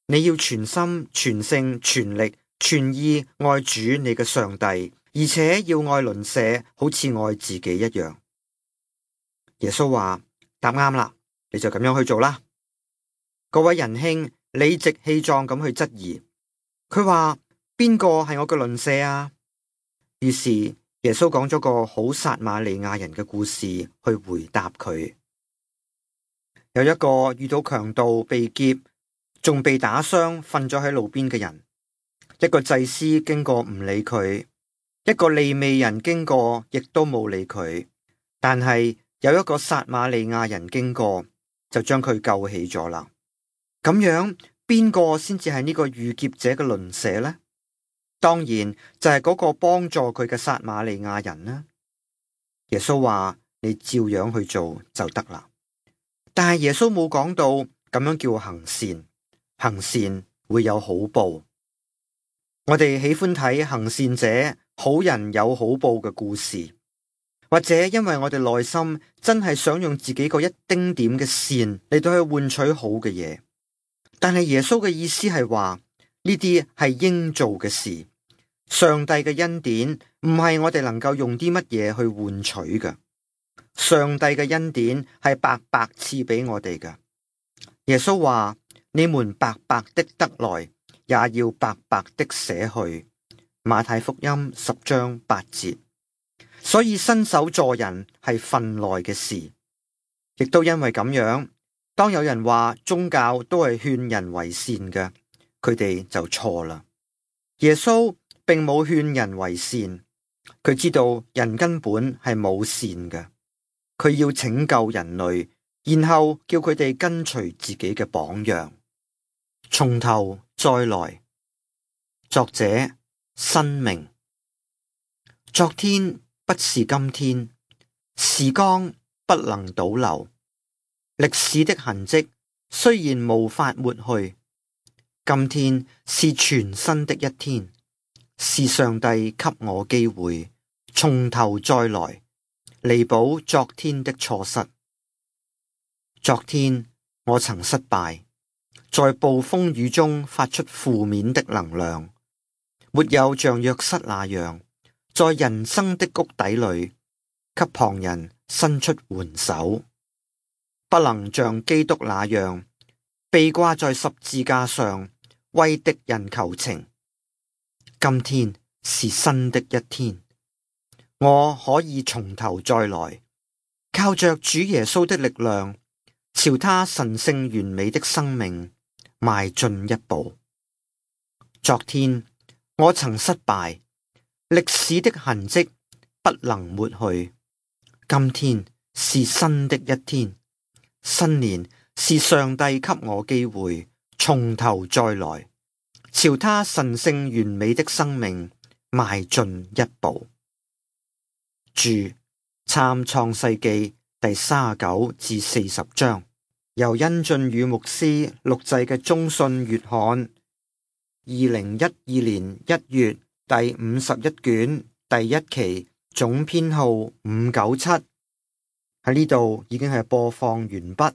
你要全心全性全力全意愛主你嘅上帝，而且要愛鄰舍好似愛自己一樣。耶穌話：答啱啦，你就咁樣去做啦。嗰位仁兄理直氣壯咁去質疑，佢話：邊個係我嘅鄰舍啊？於是耶穌講咗個好撒瑪利亞人嘅故事去回答佢。有一個遇到強盜被劫，仲被打傷瞓咗喺路邊嘅人，一個祭司經過唔理佢，一個利未人經過亦都冇理佢，但係有一個撒瑪利亞人經過，就將佢救起咗啦。咁樣邊個先至係呢個遇劫者嘅鄰舍呢？當然就係嗰個幫助佢嘅撒瑪利亞人啦。耶穌話：你照樣去做就得啦。但係耶穌冇講到咁樣叫行善，行善會有好報。我哋喜歡睇行善者好人有好報嘅故事，或者因為我哋內心真係想用自己個一丁點嘅善嚟到去換取好嘅嘢。但係耶穌嘅意思係話，呢啲係應做嘅事。上帝嘅恩典唔係我哋能夠用啲乜嘢去換取嘅。上帝嘅恩典係白白賜俾我哋嘅。耶穌話：你們白白的得來，也要白白的捨去。馬太福音10章8節。所以伸手助人係份內嘅事，亦都因為咁樣，當有人話宗教都係勸人為善嘅，佢哋就錯啦。耶穌並冇勸人為善，佢知道人根本係冇善嘅，佢要拯救人類，然後叫佢哋跟隨自己嘅榜樣，從頭再來。作者：申明。昨天不是今天，時光不能倒流，歷史的痕跡雖然無法抹去，今天是全新的一天，是上帝給我機會從頭再來，彌補昨天的錯失。昨天我曾失敗，在暴風雨中發出負面的能量，沒有像約瑟那樣在人生的谷底裏給旁人伸出援手，不能像基督那樣被掛在十字架上為敵人求情。今天是新的一天，我可以從頭再來，靠着主耶穌的力量，朝他神聖完美的生命邁進一步。昨天我曾失敗，歷史的痕跡不能抹去。今天是新的一天，新年是上帝給我機會從頭再來，朝他神聖完美的生命邁進一步。注：參創世記第39至40章，由殷俊宇牧師錄製嘅中信月刊2012年1月第51卷第1期總編號597。喺呢度已經係播放完畢。